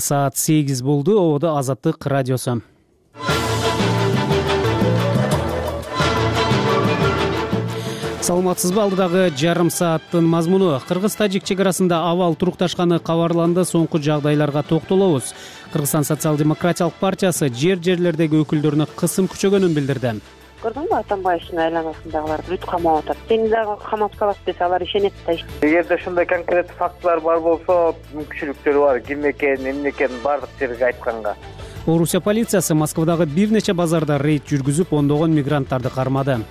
Саат 8 болду. Ободо Азаттык радиосу. Саламатсызбы? Алдыдагы жарым сааттын мазмуну. Кыргыз-тажик чек арасында абал турукташканы кабарланды. Соңку жагдайларга токтолобуз. Кыргызстан социал-демократиялык партиясы жерлердеги өкүлдөрүнө кысым күчөгөнүн билдирди. Көрдүңбү, Атамбаевдин айланасындагылар бүт камап атат. Сени дагы камап салат десе, алар ишенет да. Эгерде ушундай конкреттүү фактылар бар болсо, мүмкүнчүлүктөрү бар. Ким экен, эмне экен бардык жерге айтканга. Орусия полициясы Москвадагы бир нече базарда рейд жүргүзүп, ондогон мигранттарды кармады.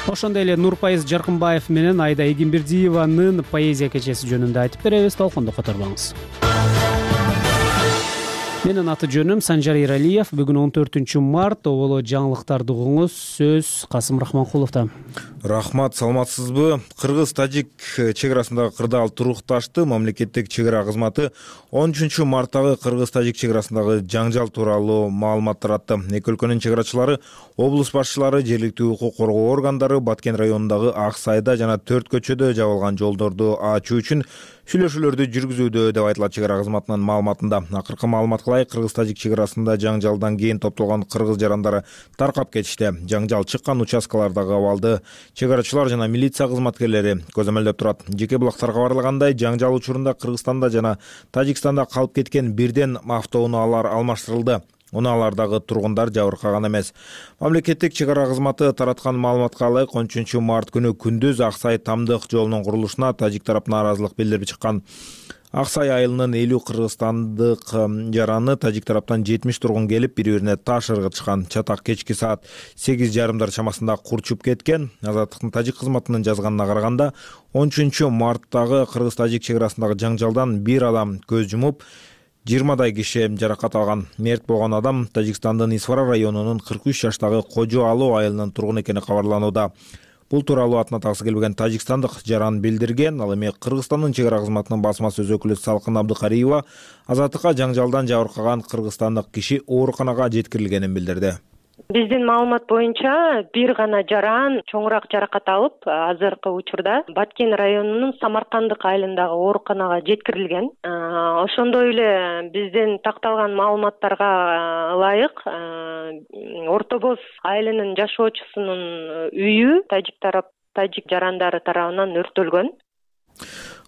Ошондой эле Нурпайыз Жаркынбаев менен Айда Эгембердиеванын поэзия кечеси жөнүндө айтып беребиз. Толкунду которбоңуз. Менин аты жөнүм Санжар Эралиев. Бүгүн 14 март. Оболо жаңылыктарды угуңуз. Сөз Касым Рахманкуловдо. Рахмат, саламатсызбы? Кыргыз-тажик чек арасындагы кырдаал турукташты. Мамлекеттик чек ара кызматы 13 марттагы кыргыз-тажик чек арасындагы жаңжал тууралуу маалымат таратты. Эки өлкөнүн чек арачылары, облус башчылары, жергиликтүү укук коргоо органдары Баткен районундагы Ак Сайда жана Төрт көчөдө жабылган жолдорду ачуу үчүн сүйлөшүүлөрдү жүргүзүүдө деп айтылат чек ара кызматынын маалыматында. Акыркы маалыматка ылайык, кыргыз-тажик чек арасында жаңжалдан кийин топтолгон кыргыз жарандары таркап кетишти. Жаңжал чыккан участкалардагы абалды чек арачылар жана милиция кызматкерлери көзөмөлдөп турат. Жеке булактар кабарлагандай, жаңжал учурунда Кыргызстанда жана Тажикстанда калып кеткен бирден автоунаалар алмаштырылды. Унаалардагы тургундар жабыркаган эмес. Мамлекеттик чек ара кызматы тараткан маалыматка ылайык, 13 март күнү күндүз Ак Сай Тамдык жолунун курулушуна тажик тарап нааразылык билдирип чыккан. Ак Сай айылынын 50 кыргызстандык жараны тажик тараптан 70 тургун келип, бири-бирине таш ыргытышкан. Чатак кечки саат 8:30 чамасында курчуп кеткен. Азаттыктын тажик кызматынын жазганына караганда, 13 марттагы кыргыз-тажик чек арасындагы жаңжалдан бир адам көз жумуп, 20дай киши жаракат алган. Мерт болгон адам Тажикстандын Исфара районунун 43 жаштагы Кожо Ало айылынын тургуну экени кабарланууда. Бул тууралуу атына таксы келбеген тажикстандык жаран билдирген. Ал эми Кыргызстандын чек ара кызматынын басма сөз өкүлү Салкын Абдыкариева Азаттыкка жаңжалдан жабыркаган кыргызстандык киши ооруканага жеткирилгенин билдирди. Биздин маалымат боюнча бир гана жаран чоңураак жаракат алып, азыркы учурда Баткен районунун Самаркандык айылындагы ооруканага жеткирилген. Ошондой эле биздин такталган маалыматтарга ылайык, Орто Боз айылынын жашоочусунун үйү тажик жарандары тарабынан өрттөлгөн.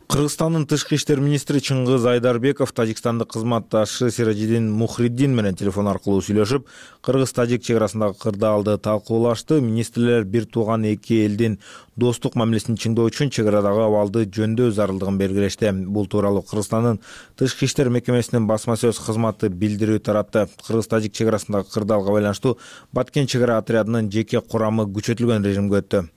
Кыргызстандын тышкы иштер министри Чыңгыз Айдарбеков тажикстандык кызматташы Сиражидин Мухриддин менен телефон аркылуу сүйлөшүп, кыргыз-тажик чек арасындагы кырдаалды талкуулашты. Министрлер бир тууган эки элдин достук мамилесин чыңдоо үчүн чек арадагы абалды жөндөө зарылдыгын белгилешти. Бул тууралуу Кыргызстандын тышкы иштер мекемесинин басма сөз кызматы билдирүү таратты. Кыргыз-тажик чек арасындагы кырдаалга байланыштуу Баткен чек ара отрядынын жеке курамы күчөтүлгөн режимге өттү.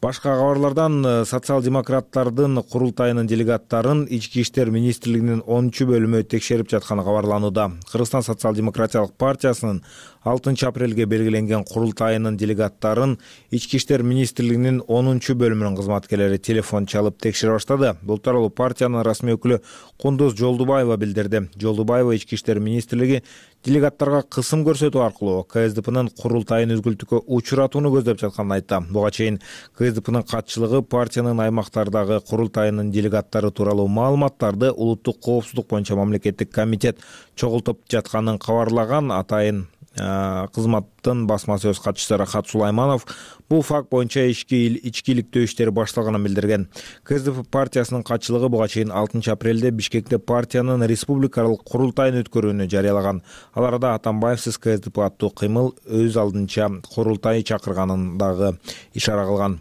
Башка кабарлардан социал-демократтардын курултайынын делегаттарын Ички иштер министрлигинин 10 бөлүмү текшерип жатканы кабарланууда. Кыргызстан социал-демократиялык партиясынын 6 апрелге белгиленген курултайынын делегаттарын Ички иштер министрлигинин 10 бөлүмүнүн кызматкерлери телефон чалып текшере баштады. Бул тууралуу партиянын расмий өкүлү Кундуз Жолдубаева билдирди. Жолдубаева Ички иштер министрлиги делегаттарга кысым көрсөтүү аркылуу КСДПнын курултайын үзгүлтүккө учуратууну көздөп жатканын айтты. Буга чейин КСДПнын катчылыгы партиянын аймактардагы курултайынын делегаттары тууралуу маалыматтарды улуттук коопсуздук боюнча мамлекеттик комитет чогултуп жатканын кабарлаган. Атайын кызматтын басма сөз катчысы Рахат Сулайманов бул факт боюнча ичкиликтөө иштери башталганын билдирген. КСДП партиясынын катчылыгы буга чейин 6 апрелде Бишкекте партиянын республикалык курултайын өткөрүүнү жарыялаган. Ал арада Атамбаевсиз КСДП аттуу кыймыл өз алдынча курултай чакырганын дагы ишара кылган.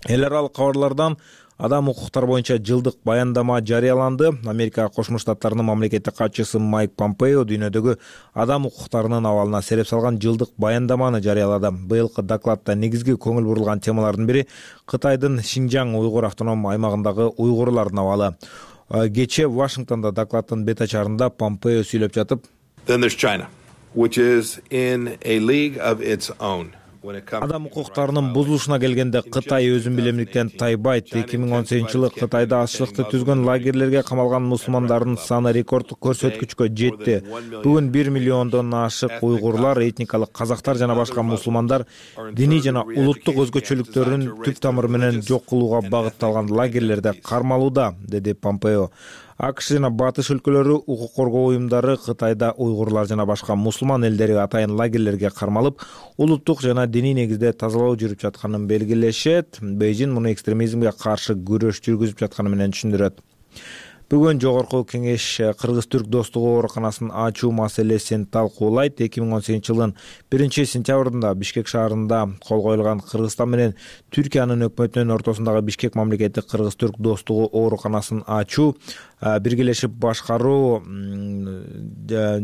Эл аралык кабарлардан адам укуктар боюнча жылдык баяндама жарыяланды. Америка Кошмо Штаттарынын мамлекеттик катчысы Майк Помпео дүйнөдөгү адам укуктарынын абалына сереп салган жылдык баяндаманы жарыялады. Быйылкы докладда негизги көңүл бурулган темалардын бири Кытайдын Шинжаң уйгур автоном аймагындагы уйгурлардын абалы. Кечээ Вашингтондо докладдын бет ачарында Помпео сүйлөп жатып, Then there's China, which is in a league of its own. Адам укуктарынын бузулушуна келгенде Кытай өзүн билемдиктен тайбайт. 2018-жылы Кытайда аччылыкты түзгөн лагерлерге камалган мусулмандардын саны рекорддук көрсөткүчкө жетти. Бүгүн 1 миллиондон ашык уйгурлар, этникалык казактар жана башка мусулмандар диний жана улуттук өзгөчөлүктөрүн түп тамыры менен жок кылууга багытталган лагерлерде кармалууда, деди Помпео. АКШ жана батыш өлкөлөрү укук коргоо уюмдары Кытайда уйгурлар жана башка мусулман элдери атайын лагерлерге кармалып, улуттук жана диний негизде тазалоо жүрүп жатканын белгилешет. Бейжин муну экстремизмге каршы күрөш жүргүзүп жатканы менен түшүндүрөт. Бүгүн Жогорку Кеңеш Кыргыз-Түрк достугу ооруканасын ачуу маселесин талкуулайт. 2018-жылдын 1-сентябрында Бишкек шаарында кол коюлган Кыргызстан менен Түркиянын өкмөтүнүн ортосундагы Бишкек мамлекеттик Кыргыз-Түрк достугу ооруканасын ачуу, биргелешип башкаруу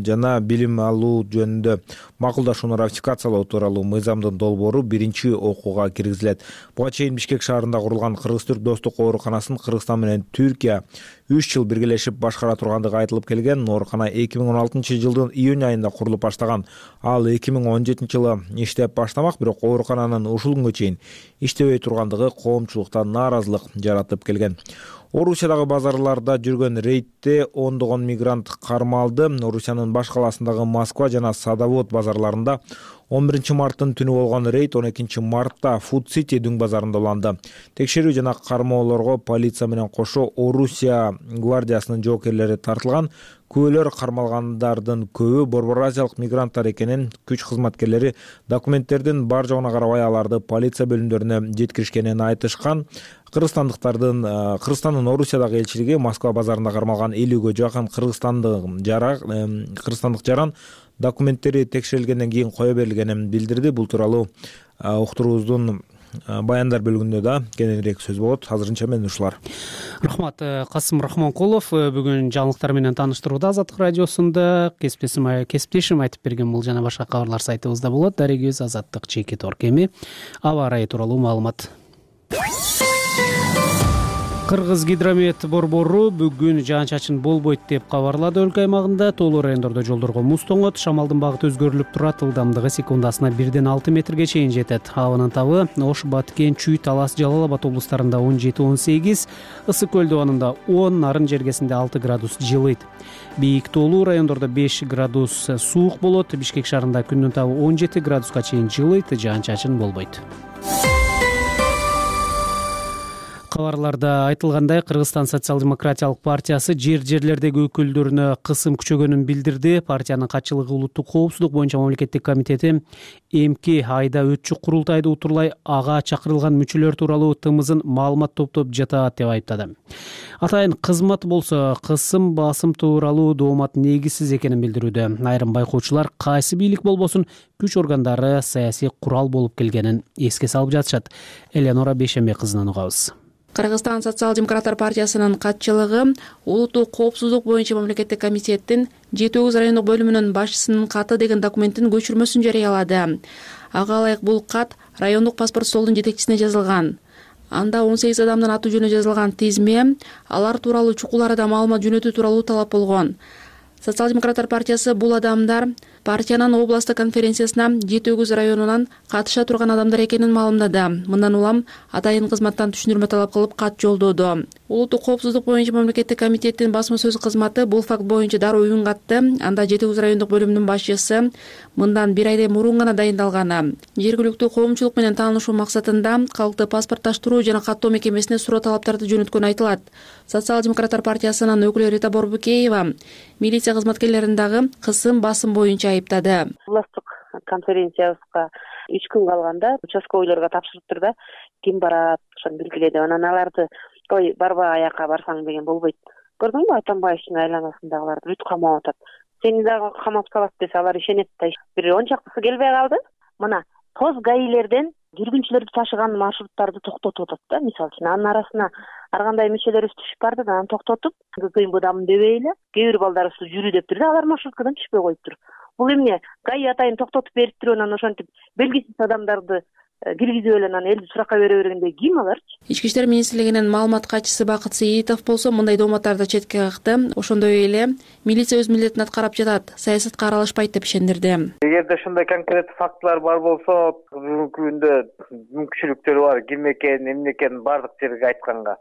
жана билим алуу жөнүндө макулдашууну ратификациялоо тууралуу мыйзамдын долбоору биринчи окууга киргизилет. Буга чейин Бишкек шаарында курулган Кыргыз-Түрк достук ооруканасын Кыргызстан менен Түркия 3 жыл биргелешип башкара тургандыгы айтылып келген. Оорукана 2016-жылдын июнь айында курулуп баштаган. Ал 2017-жылы иштеп баштамак, бирок оорукананын ушул күнгө чейин иштебей тургандыгы коомчулукта нааразылык жаратып келген. Орусиядагы базарларда жүргөн рейдте ондогон мигрант кармалды. Орусиянын баш каласындагы Москва жана Садовод базарларында 11-марттын түнү болгон рейд 12-мартта Food City дүң базарында уланды. Текшерүү жана кармоолорго полиция менен кошо Орусия гвардиясынын жоокерлери тартылган. Күбөлөр кармалгандардын көбү Борбор Азиялык мигранттар экенин, күч кызматкерлери документтердин бар жогуна карабай аларды полиция бөлүмдөрүнө жеткиришкенин айтышкан. Кыргызстандын Орусиядагы элчилиги Москва базарында кармалган 50гө жакын кыргызстандык жаран документтери текшерилгенден кийин кое берилгенин билдирди. Бул тууралуу уктуруубуздун баяндар бөлүгүндө да кененирээк сөз болот. Азырынча мен ушулар. Рахмат. Касым Рахманкулов бүгүн жаңылыктар менен тааныштырууда Азаттык радиосунда. Кесиптешим айтып берген бул жана башка кабарлар сайтыбызда болот. Дарегибиз Азаттык чеки торк. Эми аба ырайы тууралуу маалымат. Кыргыз гидромет борбору бүгүн жаан-чачын болбойт деп кабарлады. Өлкө аймагында тоолуу райондордо жолдорго муз тоңот, шамалдын багыты өзгөрүлүп турат, ылдамдыгы секундасына 1-6 метрге чейин жетет. Абанын табы Ош, Баткен, Чүй, Талас, Жалал Абад облустарында 17-18, Ысык көл дубанында 10, Нарын жергесинде 6 градус жылыйт. Бийик тоолуу райондордо 5 градус суук болот. Бишкек шаарында күндүн табы 17 градуска чейин жылыйт, жаан-чачын болбойт. Кабарларда айтылгандай, Кыргызстан социал-демократиялык партиясы жерлердеги өкүлдөрүнө кысым күчөгөнүн билдирди. Партиянын катчылыгы улуттук коопсуздук боюнча мамлекеттик комитети эмки айда өтчү курултайды утурлай ага чакырылган мүчөлөр тууралуу тымызын маалымат топтоп жатат деп айыптады. Атайын кызмат болсо кысым басым тууралуу доомат негизсиз экенин билдирүүдө. Айрым байкоочулар кайсы бийлик болбосун күч органдары саясий курал болуп келгенин эске салып жатышат. Эленора Бейшембек кызынан угабыз. Кыргызстан социал-демократтар партиясынын катчылыгы улуттук коопсуздук боюнча мамлекеттик комитеттин 7 райондук бөлүмүнүн башчысынын каты деген документтин көчүрмөсүн жарыялады. Ага ылайык бул кат райондук паспорт столдун жетекчисине жазылган. Анда 18 адамдын аты жөнү жазылган тизме, алар тууралуу чукул арада маалымат жөнөтүү тууралуу талап болгон. Социал-демократтар партиясы бул адамдар партиянын областтык конференциясына 7 районунан катыша турган адамдар экенин маалымдады. Мындан улам атайын кызматтан түшүндүрмө талап кылып кат жолдоду. Улуттук коопсуздук боюнча мамлекеттик комитеттин басма сөз кызматы бул факт боюнча дароо үн катты. Анда 7 райондук бөлүмүнүн башчысы мындан 1 айдан мурун гана дайындалган. Жергиликтүү коомчулук менен таанышуу максатында калкты паспортташтыруу жана каттоо мекемесине суроо талаптарды жөнөткөнү айтылат. Социал-демократтар партиясынын өкүлү Рита Борбукеева милиция кызматкерлерин дагы кысым басым боюнча айыптады. Областтык конференциябызга 3 күн калганда участковыйларга тапшырыптыр да, ким барат, ошону белгиледи. Анан аларды ой барбай аяка барсаң деген болбойт. Көрдүңбү, Атамбаевдин айланасындагыларды бүт камап атат. Сени дагы камап салат десе алар ишенет да. Бир 10 чактысы келбей калды. Мына тоз гаилерден жүргүнчүлөрдү ташыган маршруттарды токтотуп атат да. Мисалы үчүн анын арасына ар кандай мүчөлөрүбүз түшүп барды да, аны токтотуп, кыйын быдамын дебейли, кээ бир балдарыбыз жүрүү дептир да, алар маршруткадан түшпөй коюптур. Бул эмне? Гаи атайын токтотуп бериптир, анан ошентип белгисиз адамдарды киргизип эле анан элди суракка бере бергенде ким аларчы? Ички иштер министрлигинин маалымат катчысы Бакыт Сейитов болсо мындай дооматтарды четке какты. Ошондой эле милиция өз милдетин аткарып жатат, саясатка аралашпайт деп ишендирди. Эгерде ушундай конкреттүү фактылар бар болсо, бүгүнкү күндө мүмкүнчүлүктөр бар, ким экенин, эмне экенин бардык жерге айтканга.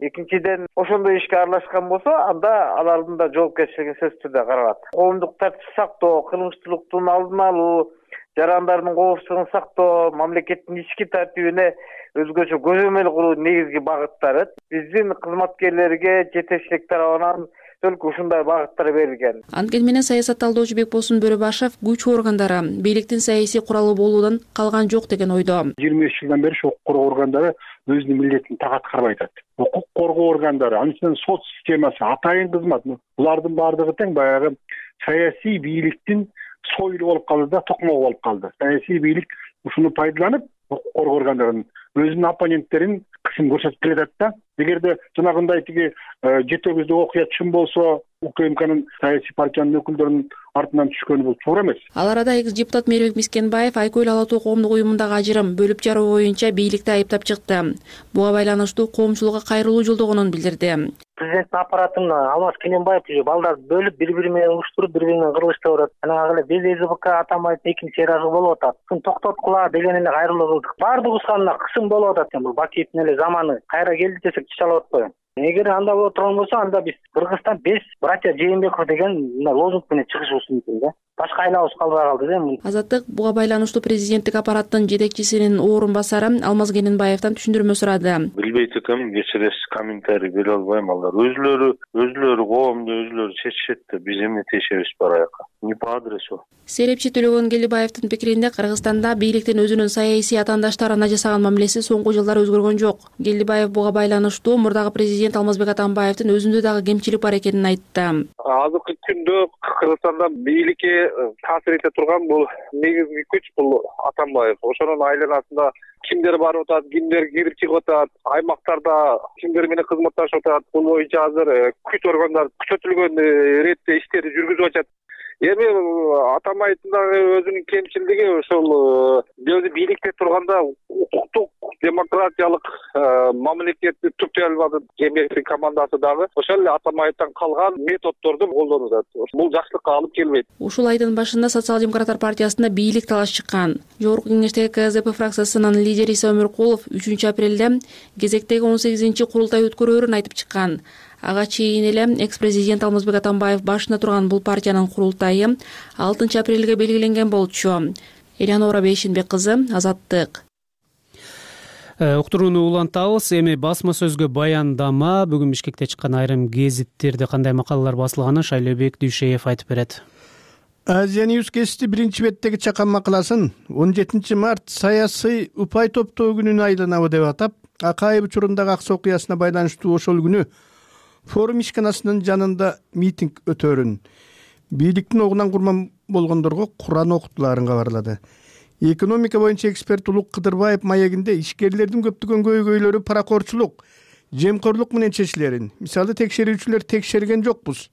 Экинчиден, ошондой ишке аралашкан болсо, анда алардын да жоопкерчилиги сөзсүз түрдө каралат. Коомдук тартипти сактоо, кылмыштуулуктун алдын алуу, жарандардын коопсуздугун сактоо, мамлекеттин ички тартибине өзгөчө көзөмөл куруу негизги багыттары. Биздин кызматкерлерге жетекчилик тарабынан только ушундай багыттар берилген. Анткени менен саясат талдоочу Бекболсун Бөрөбашев күч органдары бийликтин саясий куралы болуудан калган жок деген ойдо. 23 жылдан бери укук коргоо органдары өзүнүн милдетин так аткарбай атат. Укук коргоо органдары, анын сот системасы, атайын кызмат, булардын баардыгы тең баягы саясий бийликтин сойлу болуп калды да, токмогу болуп калды. Саясий бийлик ушуну пайдаланып, укук коргоо органдарын өзүнүн оппоненттерин кысым көрсөтүп келатат да. Эгерде жанагындай тиги жетегибизде окуя чын болсо, УКМКнын саясий партиянын өкүлдөрүнүн артынан түшкөнү бул туура эмес. Ал арада экс-депутат Мээрбек Мискенбаев Айкөл Ала Тоо коомдук уюмундагы ажырым бөлүп жаруу боюнча бийликти айыптап чыкты. Буга байланыштуу коомчулукка кайрылуу жолдогонун билдирди. Президенттин аппаратында Алмаз Кененбаев балдарды бөлүп, бири-бири менен уруштуруп, бири-бири менен кырылыштырып атат. Анан эле биз СБК Атамбаевдин экинчи чыйрагы болуп атат. Ушуну токтоткула деген эле кайрылуу кылдык. Баардыгыбызга кысым болуп атат экен. Бул Бакиевдин эле заманы кайра келди десек чалып атпайбы? Эгер анда боло турган болсо, анда биз Кыргызстан 5 братья Жээнбеков деген лозунг менен чыгышыбыз мүмкүн да. Башка айлабыз калбай калды да. Азаттык буга байланыштуу президенттик аппараттын жетекчисинин орун басары Алмаз Кененбаевден түшүндүрмө сурады. Билбейт экенмин, кечиресиз, комментарий бере албайм. Алар өзүлөрү коомду өзүлөрү чечишет да, биз эмне тиешебиз бар аяка. Не по адресу. Серепчи Төлөгөн Келдибаевдин пикиринде Кыргызстанда бийликтин өзүнүн саясий атаандаштарына жасаган мамилеси соңку жылдары өзгөргөн жок. Келдибаев буга байланыштуу мурдагы президент Алмазбек Атамбаевдин өзүндө дагы кемчилик бар экенин айтты. Азыркы күндө Кыргызстанда бийликке таасир эте турган бул негизги күч бул Атамбаев. Ошонун айланасында кимдер барып атат, кимдер кирип чыгып атат, аймактарда кимдер менен кызматташып атат. Бул боюнча азыр күч органдары күчөтүлгөн иретте иштерди жүргүзүп атат. Эми Атамбаевдин дагы өзүнүн кемчилиги ошол өзү бийликте турганда укуктук демократиялык мамлекетти түптөй албады. Жээнбековдун командасы дагы ошол эле Атамбаевден калган методдорду колдонуп атат. Бул жакшылыкка алып келбейт. Ушул айдын башында Социал-демократтар партиясында бийлик талаш чыккан. Жогорку кеңештеги КСДП фракциясынын лидери Иса Өмүркулов 3 апрелде кезектеги 18-курултай өткөрөөрүн айтып чыккан. Ага чейин эле экс-президент Алмазбек Атамбаев башында турган бул партиянын курултайы 6 апрелге белгиленген болчу. Элеонора Бейшенбек кызы, Азаттык. Уктурууну улантабыз. Эми басма сөзгө баяндама. Бүгүн Бишкекте чыккан айрым гезиттерде кандай макалалар басылганын Шайлообек Дүйшеев айтып берет. Азия Ньюс гезити биринчи беттеги чакан макаласын 17 март саясий упай топтоо күнүнө айланабы деп атап, Акаев учурундагы аксы окуясына байланыштуу ошол күнү форум ишканасынын жанында митинг өтөөрүн бийликтин огунан курман болгондорго Куран окутулаарын кабарлады. Экономика боюнча эксперт Улук Кыдырбаев маегинде ишкерлердин көптөгөн көйгөйлөрү паракорчулук, жемкорлук менен чечилерин, мисалы текшерүүчүлөр текшерген жокпуз,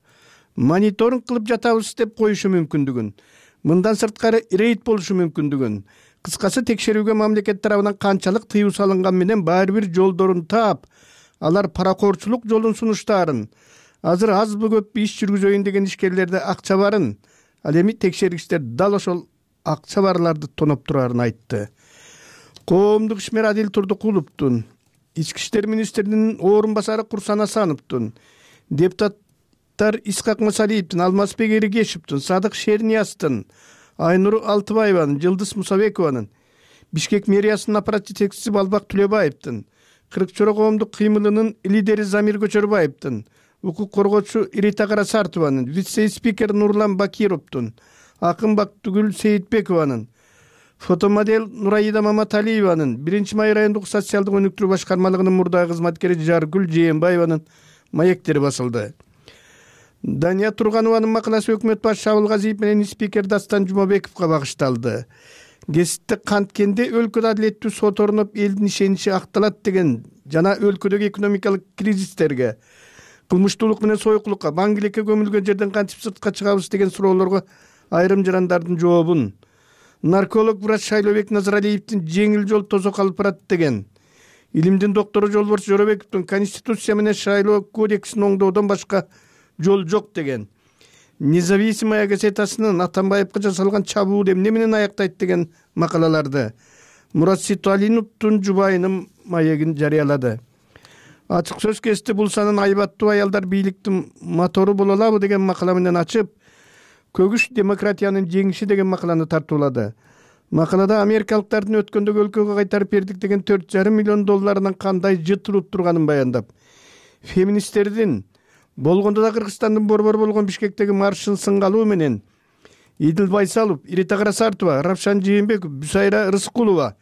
мониторинг кылып жатабыз деп коюшу мүмкүндүгүн, мындан сырткары рейд болушу мүмкүндүгүн, кыскасы текшерүүгө мамлекет тарабынан канчалык тыюу салынган менен баары бир жолдорун таап, алар паракорчулук жолун сунуштаарын, азыр азбы көппү иш жүргүзөйүн деген ишкерлерде акча барын, ал эми текшергичтер дал ошол акча барларды тоноп турарын айтты. Коомдук ишмер Адил Турдукуловдун, Ички иштер министринин орун басары Курсан Асановдун, депутаттар Исхак Масалиевдин, Алмазбек Эригешевдин, Садык Шернияздын, Айнур Алтыбаеванын, Жылдыз Мусабекованын, Бишкек мэриясынын аппарат жетекчиси Балбак Түлөбаевдин, Кырык-Чора коомдук кыймылынын лидери Замир Көчөрбаевдин, укук коргоочу Ирита Карасартованын, вице-спикер Нурлан Бакировдун, Акын Бактыгүл Сейитбекованын, фотомодель Нураида Маматалиеванын, 1-май райондук социалдык өнүктүрүү башкармалыгынын мурдагы кызматкери Жаргүл Жээнбаеванын маектери басылды. Дания Турганованын макаласы өкмөт башчысы Абылгазиев менен спикер Дастан Жумабековго багышталды. Гезитте канткенде өлкөдө адилеттүү сот орноп элдин ишеничи акталат деген жана өлкөдөгү экономикалык кризистерге, кылмыштуулук менен сойкулукка, маңгилекке көмүлгөн жерден кантип сыртка чыгабыз деген суроолорго айрым жарандардын жообун, нарколог врач Шайлообек Назаралиевдин жеңил жол тозок алып барат деген, илимдин доктору Жолборс Жоробековдун Конституция менен шайлоо кодексин оңдоодон башка жол жок деген, Независимая газетасынын Атамбаевга жасалган чабуул эмне менен аяктайт деген макалаларды, Мурат Ситалиновдун жубайынын маегин жарыялады. Ачык сөз кести бул санын айбаттуу аялдар бийликтин мотору боло алабы деген макала менен ачып, көгүш демократиянын жеңиши деген макаланы тартуулады. Макалада америкалыктардын өткөндөгү өлкөгө кайтарып бердик деген $4,5 миллион кандай жытырып турганын баяндап, феминисттердин болгондо да Кыргызстандын борбор болгон Бишкектеги маршын сынгалуу менен Идил Байсалов, Ирита Карасартова, Равшан Жээнбеков, Бусайра Рыскулова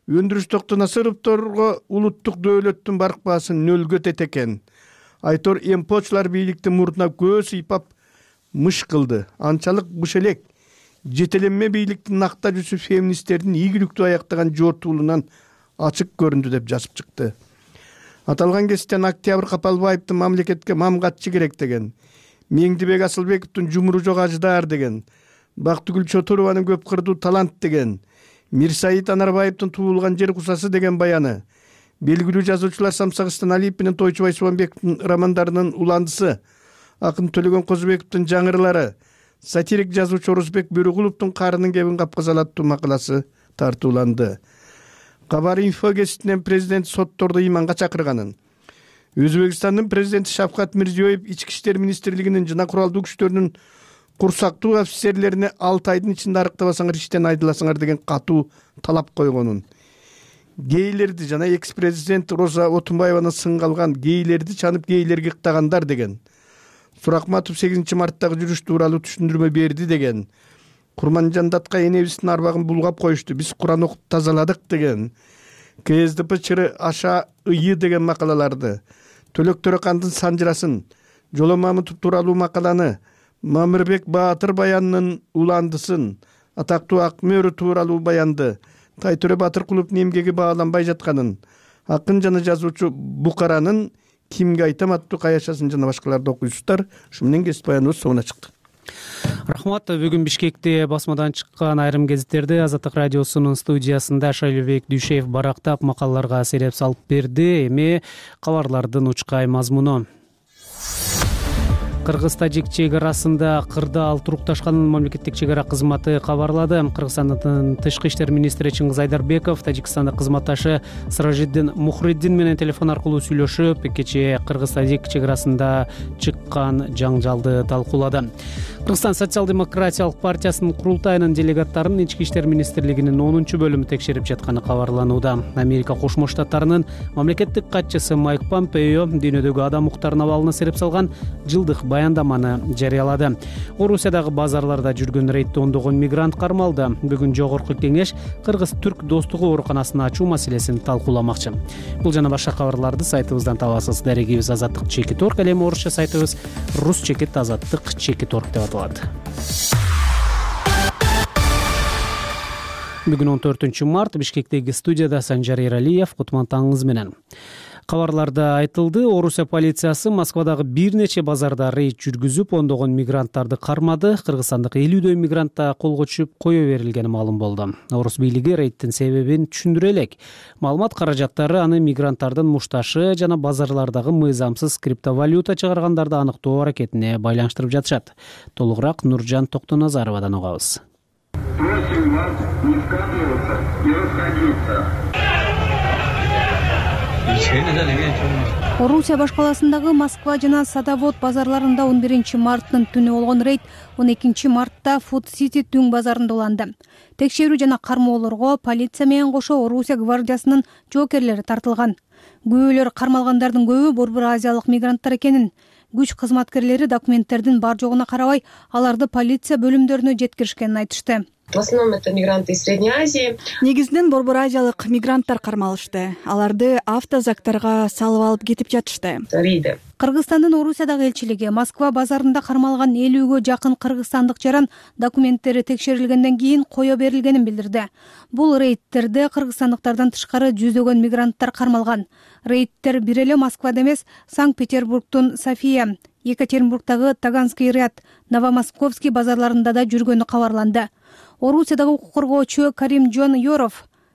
өндүрүштүк насыровдорго улуттук дөөлөттүн барк баасын нөлгө тет экен. Айтор Эмпочулар бийликтин мурдуна көз ыйпап мыш кылды. Анчалык буш элек жетеленме бийликтин накта жүзү феминисттердин ийгиликтүү аяктаган жортуулунан ачык көрүндү деп жазып чыкты. Аталган кесиптен Октябрь Капалбаевдин мамлекетке мамгатчы керек деген, Меңдибек Асылбековдун жумуру жок аждар деген, Бактыгүл Чотурованын көп кырдуу талант деген, Мирсаид Анарбаевдин туулган жер кусасы деген баяны, белгилүү жазуучулар Самсагыстан Алиев менен Тойчубай Субанбековдун романдарынын уландысы, акын Төлөгөн Козубековдун жаңырлары, сатирик жазуучу Орузбек Бөрүгуловдун Карынын кебин капказал аттуу макаласы тартууланды. Кабар инфо кеситинен президент сотторду ыйманга чакырганын, Өзбекстандын президенти Шавкат Мирзиёев ички иштер министрлигинин жана куралдуу күчтөрүнүн курсактуу офицерлерине 6 айдын ичинде арыктабасаңар иштен айдыласыңар деген катуу талап койгонун, гейлерди жана экс-президент Роза Отунбаеваны сынгалган гейлерди чанып гейлерге ыктагандар деген, Суракматов 8 марттагы жүрүш тууралуу түшүндүрмө берди деген, Курманжандатка энебиздин арбагын булгап коюшту, биз Куран окуп тазаладык деген, КСДП чыры аша ыйы деген макалаларды, Төлөк Төрөкандын санжырасын, Жоло Мамытов тууралуу макаланы, Мамырбек Баатыр баянынын уландысын, атактуу Акмөөрү тууралуу баянды, Тайтөре Батыркуловдун эмгеги бааланбай жатканын, акын жана жазуучу Букаранын Кимге айтам аттуу каяшасын жана башкаларды окуйсуздар. Ушу менен кесип баяныбыз соңуна чыкты. Рахмат. Бүгүн Бишкекте басмадан чыккан айрым гезиттерди Азаттык радиосунун студиясында Шайлообек Дүйшеев барактап макалаларга сереп салып берди. Эми кабарлардын учкай мазмуну. Кыргыз-тажик чек арасында кырдаал турукташканын мамлекеттик чек ара кызматы кабарлады. Кыргызстандын тышкы иштер министри Чыңгыз Айдарбеков Тажикстандык кызматташы Сыражиддин Мухриддин менен телефон аркылуу сүйлөшүп, кечээ Кыргыз-тажик чек арасында чыккан жаңжалды талкуулады. Кыргызстан социал-демократиялык партиясынын курултайынын делегаттарын ички иштер министрлигинин 10-бөлүмү текшерип жатканы кабарланууда. Америка Кошмо Штаттарынын мамлекеттик катчысы Майк Помпео дүйнөдөгү адам укуктарынын абалына сереп салган жылдык баяндаманы жарыялады. Орусиядагы базарларда жүргөн рейдде ондогон мигрант кармалды. Бүгүн жогорку кеңеш Кыргыз-Түрк достугу ооруканасын ачуу маселесин талкууламакчы. Бул жана башка кабарларды сайтыбыздан табасыз. Дарегибиз Азаттык Чекит.орг, ал эми орусча сайтыбыз Рус Чекит Азаттык Чекит.орг деп аталат. Бүгүн 14 март Бишкектеги студияда Санжар Эралиев, кутман таңыңыз менен. Кабарларда айтылды, Орусия полициясы Москвадагы бир нече базарда рейд жүргүзүп, ондогон мигранттарды кармады. Кыргызстандык 50 мигрантта колго түшүп кое берилгени маалым болду. Орус бийлиги рейдтин себебин түшүндүрө элек. Маалымат каражаттары аны мигранттардын мушташы жана базарлардагы мыйзамсыз криптовалюта чыгаргандарды аныктоо аракетине байланыштырып жатышат. Толугураак Нуржан Токтоназаровадан угабыз. Просим вас не скапливаться и расходиться. Орусия башкаласындагы Москва жана Садовод базарларында 11 марттын түнү болгон рейд 12 мартта Food City түң базарында уланды. Текшерүү жана кармоолорго полиция менен кошо Орусия гвардиясынын жоокерлери тартылган. Күбөлөр кармалгандардын көбү Борбор Азиялык мигранттар экенин, күч кызматкерлери документтердин бар жогуна карабай, аларды полиция бөлүмдөрүнө жеткиришкенин айтышты. В основном это мигранты из Средней Азии. Негизинен Борбор Азиялык мигранттар кармалышты. Аларды автозактарга салып алып кетип жатышты. Кыргызстандын Орусиядагы элчилиги Москва базарында кармалган 50гө жакын кыргызстандык жаран документтери текшерилгенден кийин кое берилгенин билдирди. Бул рейдтерде кыргызстандыктардан тышкары жүздөгөн мигранттар кармалган. Рейдтер бир эле Москвада эмес, Санкт-Петербургдун София, Екатеринбургдагы Таганский ряд, Новомосковский базарларында да жүргөнү кабарланды. Орусиядагы укук коргоочу Каримжон Yorov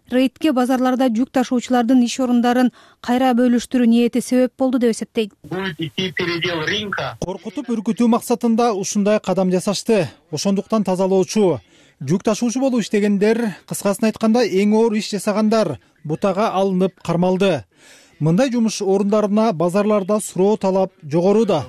рейдке базарларда жүк ташуучулардын иш орундарын кайра бөлүштүрүү ниети себеп болду деп эсептейт. Коркутуп үркүтүү максатында ушундай кадам жасашты. Ошондуктан тазалоочу, жүк ташуучу болуп иштегендер, кыскасын айтканда эң оор иш жасагандар бутага алынып кармалды. Мындай жумуш орундарына базарларда суроо талап жогору да.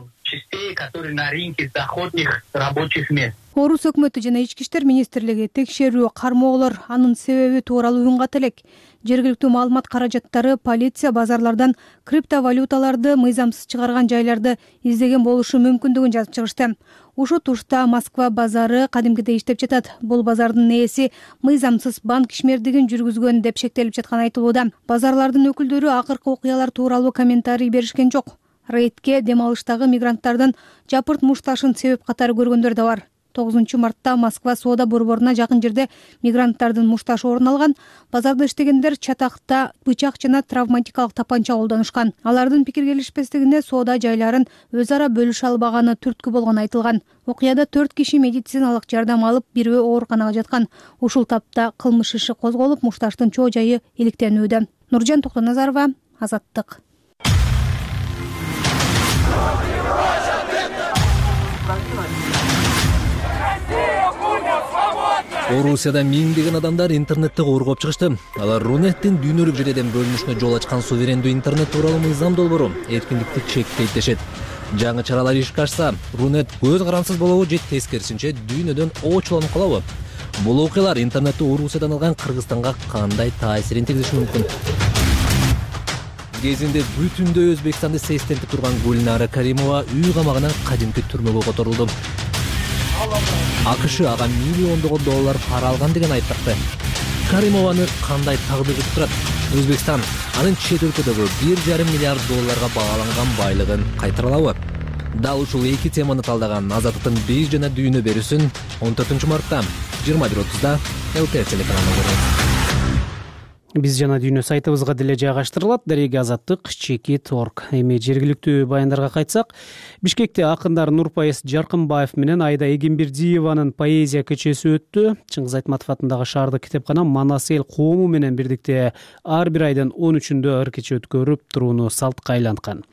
Орус өкмөтү жана Ички иштер министрлиги текшерүү, кармоолор анын себеби тууралуу унгат элек. Жергиликтүү маалымат каражаттары полиция базарлардан криптовалюталарды мыйзамсыз чыгарган жайларды издеген болушу мүмкүндүгүн жазып чыгышты. Ушул тушта Москва базары кадимкидей иштеп жатат. Бул базардын ээси мыйзамсыз банк ишмердигин жүргүзгөн деп шектелип жатканы айтылууда. Базарлардын өкүлдөрү акыркы окуялар тууралуу комментарий беришкен жок. Рейдке дем алыштагы мигранттардын жапырт мушташын себеп катары көргөндөр да бар. 9 мартта Москва соода борборуна жакын жерде мигранттардын мушташы орун алган. Базарда иштегендер чатакта бычак жана травматикалык тапанча колдонушкан. Алардын пикир келишпестигине соода жайларын өз ара бөлүшө албаганы түрткү болгону айтылган. Окуяда 4 киши медициналык жардам алып, бирөө ооруканага жаткан. Ушул тапта кылмыш иши козголуп, мушташтын чоо жайы иликтенүүдө. Нуржан Токтоназарова, Азаттык. Орусияда миңдеген адамдар интернетти коргоп чыгышты. Алар Рунеттин дүйнөлүк жерден бөлүнүшүнө жол ачкан суверендүү интернет тууралуу мыйзам долбоору эркиндикти чектейт дешет. Жаңы чаралар ишке ашса, Рунет көз карансыз болобу же тескерисинче дүйнөдөн оочуланып калабы? Бул окуялар интернетти Орусиядан алган Кыргызстанга кандай таасирин тийгизиши мүмкүн? Кезинде бүтүндөй Өзбекстанды сестентип турган Гульнара Каримова үй камагынан кадимки түрмөгө которулду. АКШ ага миллиондогон доллар пара алган деген айыптакты. Каримованы кандай тагдыр күтүп турат? Өзбекстан анын чет өлкөдөгү 1,5 миллиард долларга бааланган байлыгын кайтаралабы? Дал ушул эки теманы талдаган Азаттыктын биз жана дүйнө берүүсүн 14 мартта 21:30 ЛТР телеканалында көрөт. Биз жана дүйнө сайтыбызга деле жайгаштырылат. Дареги Азаттык _org. Эми жергиликтүү баяндарга кайтсак, Бишкекте акындар Нурпайыз Жаркынбаев менен Айда Эгембердиеванын поэзия кечеси өттү. Чыңгыз Айтматов атындагы шаардык китепкана Манас эл коому менен бирдикте ар бир айдын 13-үндө ыр кече өткөрүп турууну салтка айланткан.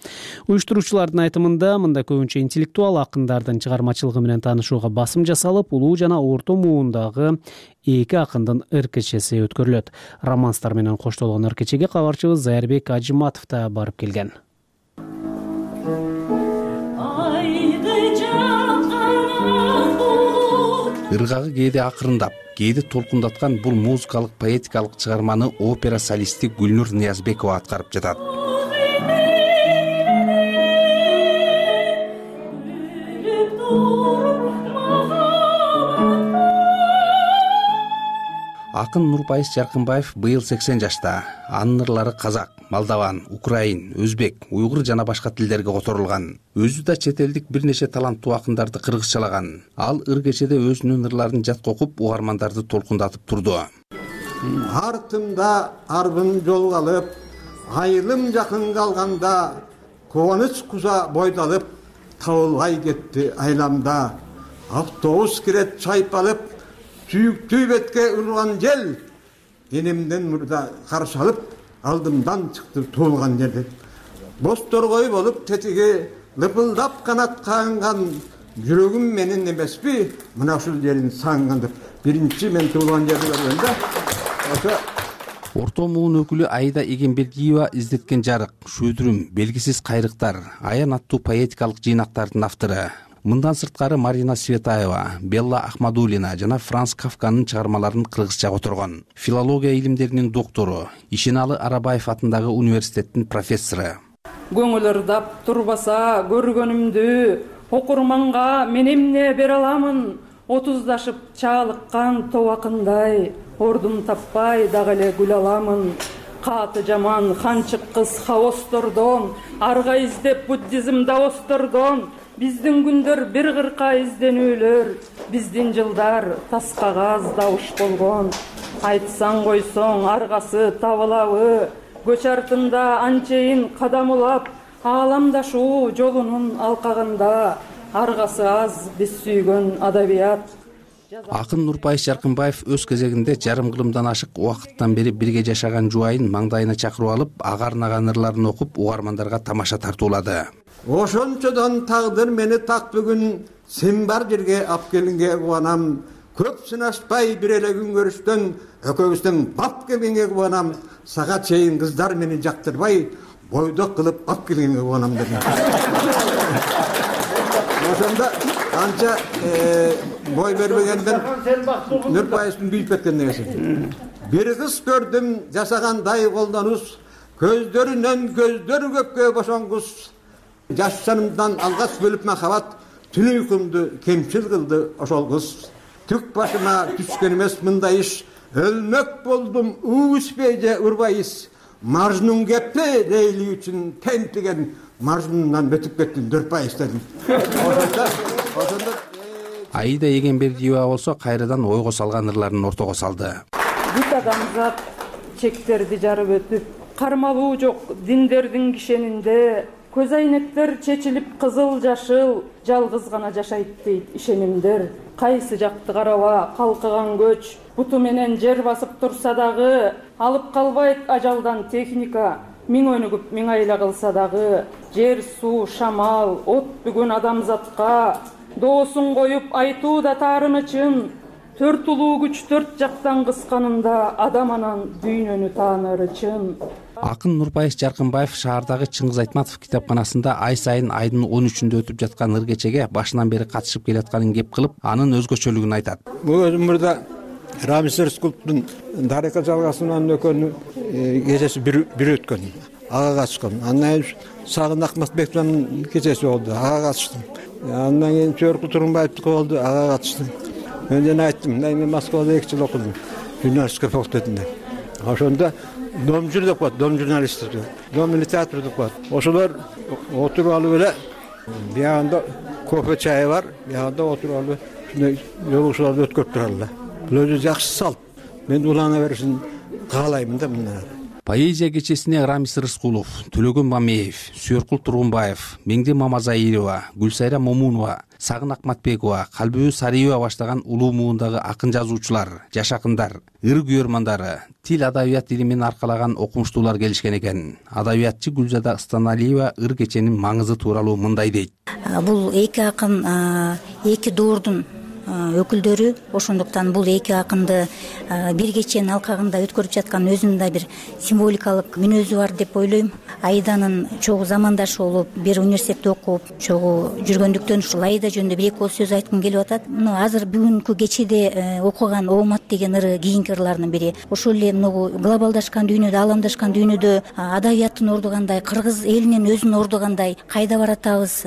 Уюштуруучулардын айтымында мында көбүнчө интеллектуал акындардын чыгармачылыгы менен таанышууга басым жасалып, улуу жана орто муундагы эки акындын ыр кечеси өткөрүлөт. Романстар менен коштолгон ыр кечеге кабарчыбыз Зайырбек Ажыматов да барып келген. Ыргагы кээде акырындап, кээде толкундаткан бул музыкалык поэтикалык чыгарманы опера солисти Гүлнур Ниязбекова аткарып жатат. Акын Нурпайыз Жаркынбаев быйыл 80 жашта. Анын ырлары казак, молдаван, украин, өзбек, уйгур жана башка тилдерге которулган. Өзү да чет элдик бир нече таланттуу акындарды кыргызчалаган. Ал ыр кечеде өзүнүн ырларын жатка окуп, угармандарды толкундатып турду. Артымда арбын жолго алып, айылым жакын калганда, кубаныч куза бойдалып, табылбай кетти айламда. Автобус кирет чайпалып, сүйүктүү бетке урган жел, энемден мурда каршы алып, алдымдан чыкты туулган жерде. Боз торгой болуп тетиги лыпылдап канат каанган, жүрөгүм менен эмеспи, мына ушул жерин сагынган деп. Биринчи мен туулган жерди көргөндө ошо Орто муун өкүлү Айда Эгембердиева издеткен жарык, шөдүрүм, белгисиз кайрыктар, аян аттуу поэтикалык жыйнактардын автору. Мындан сырткары Марина Светаева, Белла Ахмадулина жана Франц Кафканын чыгармаларын кыргызча которгон. Филология илимдеринин доктору, Ишеналы Арабаев атындагы университеттин профессору. Көңүл ырдап турбаса көргөнүмдү, окурманга мен эмне бере аламын? 30дашып чаалыккан тобакындай, ордун таппай дагы эле гүл аламын. Каты жаман ханчык кыз хаостордон, арга издеп буддизм даостордон, биздин күндөр бир кырка изденүүлөр, биздин жылдар тас кагаз дабыш болгон. Айтсаң койсоң аргасы табылабы, көч артында анчейин кадам улап, ааламдашуу жолунун алкагында, аргасы аз биз сүйгөн адабият. Акын Нурпайыш Жаркынбаев өз кезегинде жарым кылымдан ашык убакыттан бери бирге жашаган жубайын маңдайына чакырып алып, ага арнаган ырларын окуп, угармандарга тамаша тартуулады. Ошончодон тагдыр мени так бүгүн сен бар жерге алып келгенге кубанам. Көп сынашпай бир эле күн көрүштөн экөөбүздөн бап келгенге кубанам. Сага чейин кыздар мени жактырбай, бойдок кылып алып келгенге кубанам дедим. Ошондо анча бой бербегенден Нурпайыштын büyüp кеткен нерсе. Бир кыз көрдүм жасагандай колдонус, көздөрүнөн көздөр көккө бошонгус. Жашанымдан алгас бөлүп махабат, түн уйкумду кемчил кылды ошол кыз. Түк башыма түшкөн эмес мындай иш, өлмөк болдум уушпей же урбайыз. Мажнун кепти Лейли үчүн тентиген Мажнундан өтүп кеттим Нурпайыш дедим. Ошондо Аида Егенбердиева болсо кайрадан ойго салган ырларын ортого салды. Бүт адамзат чектерди жарып өтүп, кармалуу жок диндердин кишенинде, көз айнектер чечилип кызыл жашыл, жалгыз гана жашайт дейт ишенимдер. Кайсы жакты караба калкыган көч, буту менен жер басып турса дагы, алып калбайт ажалдан техника. Миң өнүгүп миң айла кылса дагы, жер, суу, шамал, от бүгүн адамзатка, доосун коюп айтуу да таарынычын, төрт улуу күч төрт жактан кысканында адам анан дүйнөнү тааныры чын. Акын Нурпайыш Жаркынбаев шаардагы Чыңгыз Айтматов китапканасында ай сайын айдын 13-үндө өтүп жаткан ыр кечеге башынан бери катышып келатканын кеп кылып, анын өзгөчөлүгүн айтат. Бул өмүрдө Рамис Рыскуловдун Дарека жалгасынан өкөнү кечеси бир өткөн. Ага катышкан. Андан кийин Сагын Акматбековдун кечеси болду. Ага катыштым. Андан кийин Чөркүл Турунбаевдики болду. Ага катыштым. Мен жана айттым, мен Москвада 2 жыл окудум. Журналистика факультетинде. Ошондо дом жүрдүк бат, дом журналисти, дом литература деп бат. Ошолор отуруп алып эле, биягында кофе чай бар, биягында отуруп алып, шундай жолугушууларды өткөрүп туралар. Бул өзү жакшы салт. Мен улана беришин каалайм да мындан. Поэзия кечесине Рамис Рыскулов, Төлөгөн Мамеев, Сүйөркул Тургунбаев, Меңди Мамазаирова, Гүлсайра Момунова, Сагын Акматбекова, Калбүбү Сариева баштаган улуу муундагы акын жазуучулар, жаш акындар, ыр күйөрмандары, тил адабият илимин аркалаган окумуштуулар келишкен экен. Адабиятчы Гүлзада Станалиева ыр кеченин маңызы тууралуу мындай дейт. Бул эки акын, эки доордун өкүлдөрү, ошондуктан бул эки акынды бир кеченин алкагында өткөрүп жаткан өзүнүн да бир символикалык мүнөзү бар деп ойлойм. Аиданын чогуу замандашы болуп, бир университетте окуп, чогуу жүргөндүктөн ушул Аида жөнүндө бир эки сөз айткым келип атат. Азыр бүгүнкү кечеде окуган Оомат деген ыры кийинки ырлардын бири. Ошол эле глобалдашкан дүйнөдө, ааламдашкан дүйнөдө адабияттын ордугандай, кыргыз элинин өзүн ордугандай кайда баратабыз,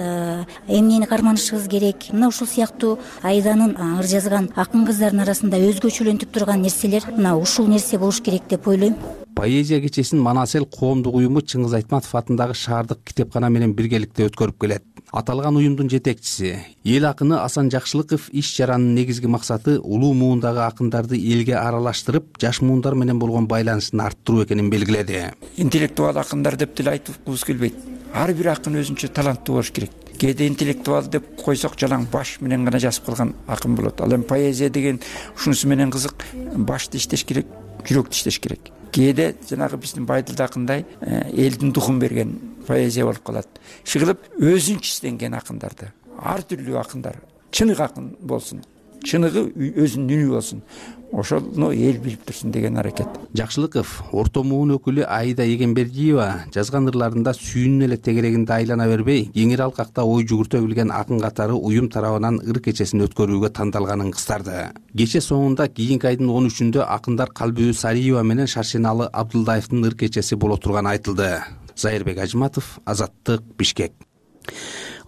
эмнени карманышыбыз керек. Ушул сыяктуу Аиданын ыр жазган акын кыздардын арасында өзгөчөлөнтүп турган нерселер ушул нерсе болуш керек деп ойлойм. Поэзия кечесин Манасел коомдук уюму Чыңгыз Айтматов атындагы шаардык китепкана менен биргеликте өткөрүп келет. Аталган уюмдун жетекчиси, эл акыны Асан Жакшылыков иш чаранын негизги максаты улуу муундагы акындарды элге аралаштырып, жаш муундар менен болгон байланышын арттыруу экенин белгиледи. Интеллектуал акындар деп деле айткыбыз келбейт. Ар бир акын өзүнчө таланттуу болуш керек. Кээде интеллектуал деп койсок жалаң баш менен гана жазып калган акын болот. Ал эми поэзия деген ушунусу менен кызык, башты иштеш керек, жүрөктү иштеш керек. Кээде жанагы биздин Байдылдакындай элдин духун берген поэзия болуп калат. Шыгылып өзүнчө иштенген акындарды, ар түрлүү акындар, чыныгы акын болсун, чыныгы өзүнүн үнү болсун. Ошону эл билип турсун деген аракет. Жакшылыков орто муун өкүлү Аида Егенбердиева жазган ырларында сүйүнүн эле тегерегинде айлана бербей, кеңири алкакта ой жүгүртө билген акын катары уюм тарабынан ыр кечесин өткөрүүгө тандалганын кыстарды. Кече соңунда кийинки айдын 13-үндө акындар Калбүбү Сариева менен Шаршеналы Абдылдаевдин ыр кечеси боло турганы айтылды. Зайырбек Ажматов, Азаттык, Бишкек.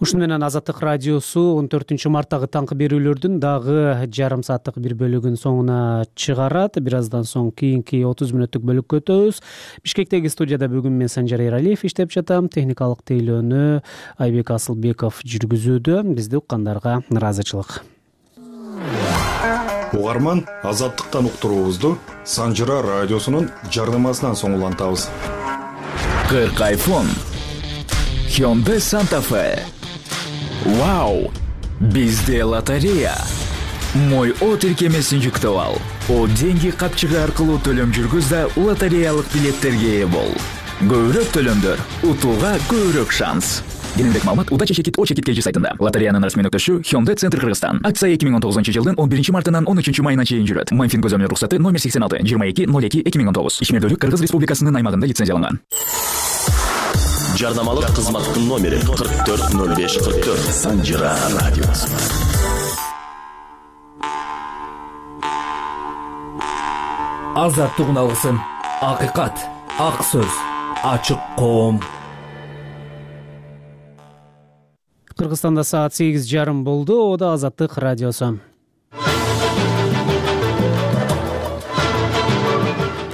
Ушуну менен Азаттык радиосу 14-марттагы таңкы берүүлөрдүн дагы жарым сааттык бир бөлүгүн соңуна чыгарат. Бир аздан соң кийинки 30 мүнөттүк бөлүккө өтөбүз. Бишкектеги студияда бүгүн мен Санжар Эралиев иштеп жатам. Техникалык тейлөөнү Айбек Асылбеков жүргүзүүдө. Бизди уккандарга ыраазычылык. Угарман Азаттыктан уктуруубузду Санжара радиосунун жардамасынан соң улантабыз. 40 iPhone, Hyundai Santa Fe. Вау! Бизде лотерея. Мой О тиркемесин жүктөп ал. О деньги капчыгы аркылуу төлөм жүргүз да лотереялык билеттерге ээ бол. Көбүрөөк төлөмдөр, утууга көбүрөөк шанс. Кененирээк маалымат Уда чекит О чекит KG сайтында. Лотереянын расмий өкмөтү Hyundai Центр Кыргызстан. Акция 2019 жылдын 11 мартынан 13 майына чейин жүрөт. Мамфин көзөмөл уруксаты номер 86 2202/2019. Ишмердүүлүк Кыргыз Республикасынын аймагында лицензияланган. Жарнамалык кызматтын номери 440544. Санжира радиосу. Азаттыгын алгысын. Акыйкат, ак сөз, ачык коом. Кыргызстанда саат 8:30 болду. Ода Азаттык радиосу.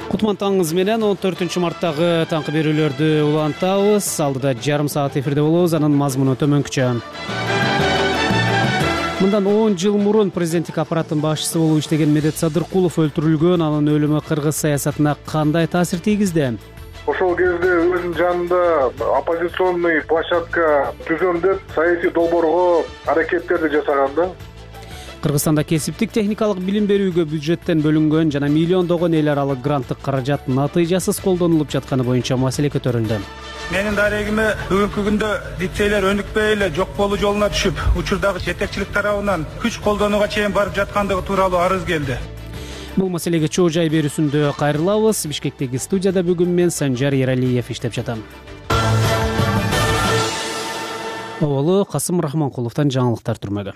Кутман таңыңыз менен 14 марттагы таңкы берүүлөрдү улантабыз. Алдыда жарым саат эфирде болобуз. Анын мазмуну төмөнкүчө. Мындан 10 жыл мурун президенттик аппараттын башчысы болуп иштеген Медет Садыркулов өлтүрүлгөн. Анын өлүмү кыргыз саясатына кандай таасир тийгизди? Ошол кезде өзүнүн жанында оппозиционный площадка түзөм деп саясий долбоорго аракеттерди жасаган да. Кыргызстанда кесиптик техникалык билим берүүгө бюджеттен бөлүнгөн жана миллиондогон эл аралык гранттык каражат натыйжасыз колдонулуп жатканы боюнча маселе көтөрүлдү. Менин дарегиме бүгүнкү күндө лицейлер өнүкпөй эле жок болуу жолуна түшүп, учурдагы жетекчилик тарабынан күч колдонууга чейин барып жаткандыгы тууралуу арыз келди. Бул маселеге чоо жай берүүсүндө кайрылабыз. Бишкектеги студияда бүгүн мен Санжар Ералиев иштеп жатам. Оболу Касым Рахманкуловдон жаңылыктар түрмөгө.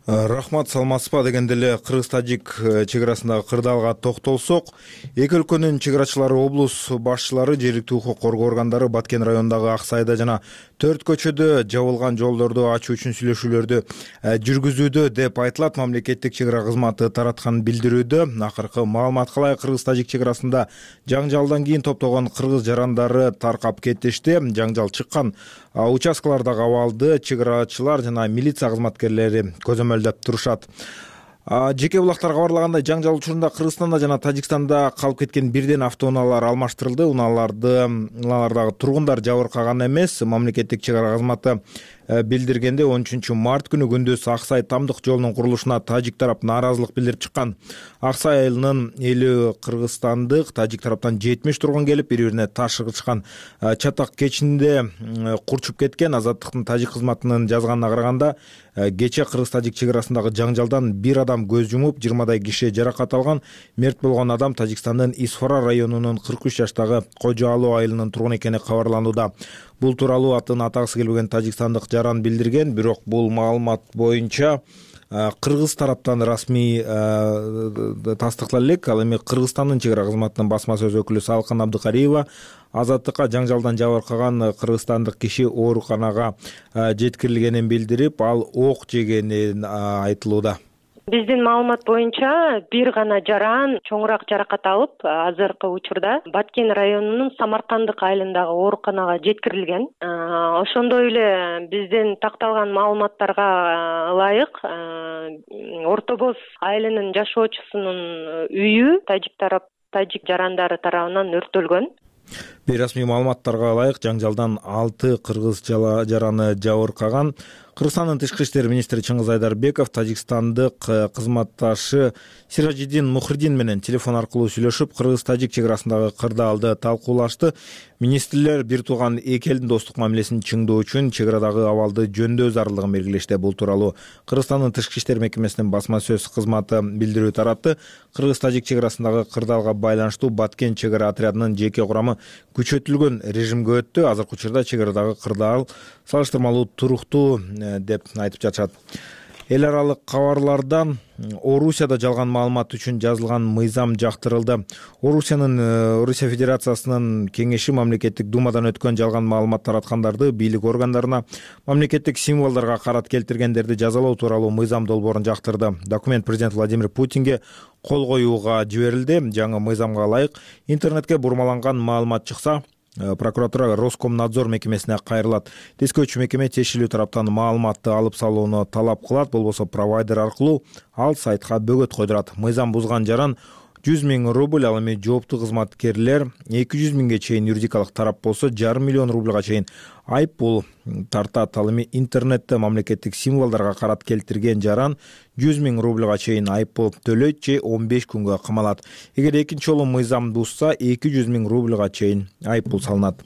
Рахмат, саламатсызбы дегенде эле кыргыз-тажик чек арасындагы кырдаалга токтолсок, эки өлкөнүн чек арачылары, облус башчылары, жергиликтүү укук коргоо органдары Баткен районундагы Ак Сайда жана 4 көчөдө жабылган жолдорду ачуу үчүн сүйлөшүүлөрдү жүргүзүүдө деп айтылат. Мамлекеттик чек ара кызматы тараткан билдирүүдө акыркы маалыматка ылайык кыргыз-тажик чек арасында жаңжалдан кийин топтогон кыргыз жарандары таркап кетишти. Жаңжал чыккан участкалардагы абалды чек арачылар жана милиция кызматкерлери көзөмөлдөп турушат. Жеке булактар кабарлагандай, жаңжал учурунда Кыргызстанда жана Тажикстанда калып кеткен бирден автоунаалар алмаштырылды. Унаалардагы тургундар жабыркаган эмес. Мамлекеттик чек ара кызматы билдиргенде 13 март күнү күндүз Ак Сай тамдык жолунун курулушуна тажик тарап нааразылык билдирип чыккан. Ак Сай айылынын 50 кыргызстандык, тажик тараптан 70 тургун келип, бири-бирине таш ыргытышкан чатак кечинде курчуп кеткен. Азаттыктын тажик кызматынын жазганына караганда, кече кыргыз-тажик чек арасындагы жаңжалдан бир адам көз жумуп, 20дай киши жаракат алган. Мерт болгон адам Тажикстандын Исфара районунун 43 жаштагы Кожо Алуу айылынын тургуну экени кабарланууда. Бул тууралуу атын атагысы келбеген тажикстандык жаран билдирген, бирок бул маалымат боюнча кыргыз тараптан расмий тастыктала элек. Ал эми Кыргызстандын чек ара кызматынын басма сөз өкүлү Салкын Абдыкариева Азаттыкка жаңжалдан жабыркаган кыргызстандык киши ооруканага жеткирилгенин билдирип, ал ок жегени айтылууда. Биздин маалымат боюнча бир гана жаран чоңураак жаракат алып, азыркы учурда Баткен районунун Самаркандык айылындагы ооруканага жеткирилген. Ошондой эле биздин такталган маалыматтарга ылайык Орто Боз айылынын жашоочусунун үйү тажик жарандары тарабынан өрттөлгөн. Бейрасмий маалыматтарга ылайык жаңжалдан 6 кыргыз жараны жабыркаган. Кыргызстандын тышкы иштер министри Чыңгыз Айдарбеков тажикстандык кызматташы Сиражиддин Мухридин менен телефон аркылуу сүйлөшүп, кыргыз-тажик чек арасындагы кырдаалды талкуулашты. Министрлер бир тууган эки элдин достук мамилесин чыңдоо үчүн чек арадагы абалды жөндөөө зарылдыгын белгилешти. Бул тууралуу Кыргызстандын тышкы иштер мекемесинин басма сөз кызматы билдирүү таратты. Кыргыз-тажик чек арасындагы кырдаалга байланыштуу Баткен чек ара отрядынын жеке курамы күчөтүлгөн режимге өттү. Азыркы учурда чек арадагы кырдаал салыштырмалуу туруктуу деп айтып жатышат. Эл аралык кабарлардан Орусияда жалган маалымат үчүн жазылган мыйзам жактырылды. Орусия Федерациясынын кеңеши мамлекеттик думадан өткөн жалган маалымат тараткандарды, бийлик органдарына, мамлекеттик символдорго карат келтиргендерди жазалоо тууралуу мыйзам долбоорун жактырды. Документ президент Владимир Путинге кол коюуга жиберилди. Жаңы мыйзамга ылайык интернетке бурмаланган маалымат чыкса, прокуратура Роскомнадзор мекемесине кайрылат. Тескөөчү мекеме тиешелүү тараптан маалыматты алып салууну талап кылат. Болбосо провайдер аркылуу ал сайтка бөгөт койдурат. Мыйзам бузган жаран 100 000 рубль, ал эми жооптуу кызматкерлер 200 000ге чейин, юридикалык тарап болсо 500 000 рубльга чейин айып пул тартат. Ал эми интернетте мамлекеттик символдорго карат келтирген жаран 100 000 рубльга чейин айып пул төлөйт же 15 күнгө камалат. Эгер экинчи жолу мыйзам бузса 200 000 рубльга чейин айып пул салынат.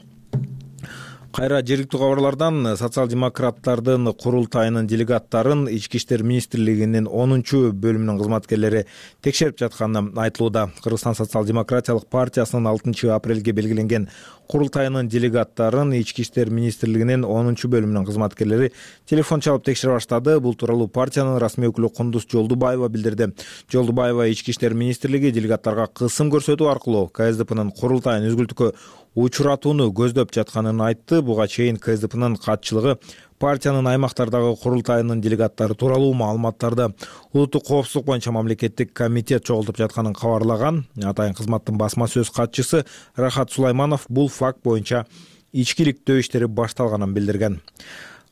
Кайра жергиликтүү кабарлардан социал-демократтардын курултайынын делегаттарын Ички иштер министрлигинин 10-бөлүмүнүн кызматкерлери текшерип жатканы айтылууда. Кыргызстан социал-демократиялык партиясынын 6 апрелге белгиленген курултайынын делегаттарын Ички иштер министрлигинин 10-бөлүмүнүн кызматкерлери телефон чалып текшере баштады. Бул тууралуу партиянын расмий өкүлү Кундуз Жолдубаева билдирди. Жолдубаева Ички иштер министрлиги делегаттарга кысым көрсөтүү аркылуу КСДПнын курултайын үзгүлтүккө учуратууну көздөп жатканын айтты. Буга чейин КСДПнын катчылыгы партиянын аймактардагы курултайынын делегаттары тууралуу маалыматтарды улуттук коопсуздук боюнча мамлекеттик комитет чогултуп жатканын кабарлаган. Атайын кызматтын басма сөз катчысы Рахат Сулайманов бул факт боюнча ичкиликтөө иштери башталганын билдирген.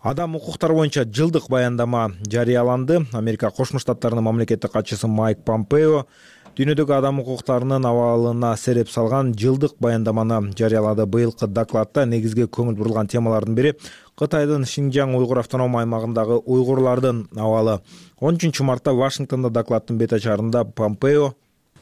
Адам укуктары боюнча жылдык баяндама жарыяланды. Америка Кошмо Штаттарынын мамлекеттик катчысы Майк Помпео дүйнөдөгү адам укуктарынын абалына сереп салган жылдык баяндаманы жарыялады. Быйылкы докладта негизги көңүл бурулган темалардын бири Кытайдын Шинжаң уйгур автоном аймагындагы уйгурлардын абалы. 13 мартта Вашингтонда докладдын бет ачарында Помпео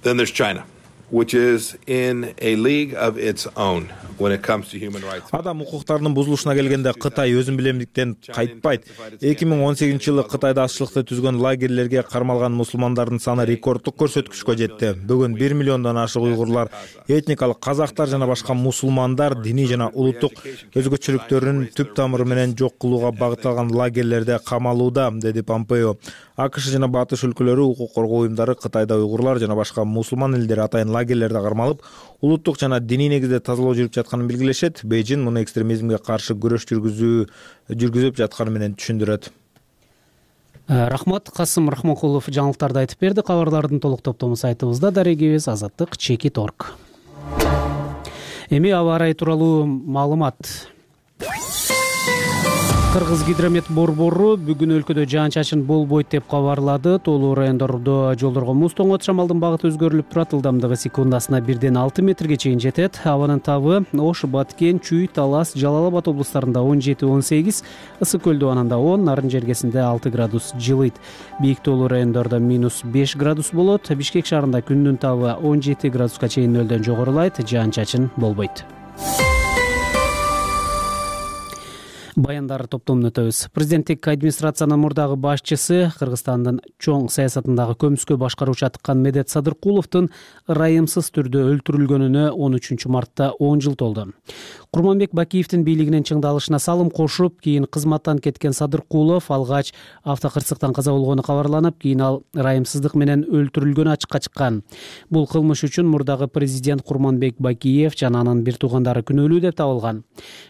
Then there's China, which is in a league of its own when it comes to human rights. Адам укуктарынын бузулушуна келгенде Кытай өзүн билемдиктен кайтпайт. 2018-жылы Кытайда ачылыкты түзгөн лагерлерге кармалган мусулмандардын саны рекорддук көрсөткүчкө жетти. Бүгүн 1 миллиондон ашык уйгурлар, этникалык казактар жана башка мусулмандар диний жана улуттук өзгөчөлүктөрүн түп тамыры менен жок кылууга багытталган лагерлерде камалууда, деди Помпео. АКШ жана батыш өлкөлөрү укук коргоо уюмдары Кытайда уйгурлар жана башка мусулман элдер атайын лагерлерде кармалып, улуттук жана диний негизде тазалоо жүрүп жатканын белгилешет. Бейжин муну экстремизмге каршы күрөш жүргүзүп жатканы менен түшүндүрөт. Рахмат. Касым Рахманкулов жаңылыктарды айтып берди. Кабарлардын толук топтому сайтыбызда дарегибиз azаттык.org. Эми аба ырайы тууралуу маалымат. Кыргыз гидромет борбору бүгүн өлкөдө жаан-чачын болбойт деп кабарлады. Тоолуу райондордо жолдорго муз тоңот, шамалдын багыты өзгөрүлүп турат. Ылдамдыгы секундасына 1-6 метрге чейин жетет. Абанын табы Ош, Баткен, Чүй, Талас, Жалал Абад облустарында 17-18, Ысык көлдө ананда 10, Нарын жергесинде 6 градус жылыйт. Бийик тоолуу райондордо -5 градус болот. Бишкек шаарында күндүн табы 17 градуска чейин нөлдөн жогорулайт. Жаан-чачын болбойт. Баяндар топтомун өтөбүз. Президенттик администрациянын мурдагы башчысы, Кыргызстандын чоң саясатындагы көмүскө башкаруучу атыккан Медет Садыркуловдун ырайымсыз түрдө өлтүрүлгөнүнө 13 мартта 10 жыл толду. Курманбек Бакиевдин бийлигинин чыңдалышына салым кошуп, кийин кызматтан кеткен Садыркулов алгач автокырсыктан каза болгону кабарланып, кийин ал ырайымсыздык менен өлтүрүлгөнү ачыкка чыккан. Бул кылмыш үчүн мурдагы президент Курманбек Бакиев жана анын бир туугандары күнөөлүү деп табылган.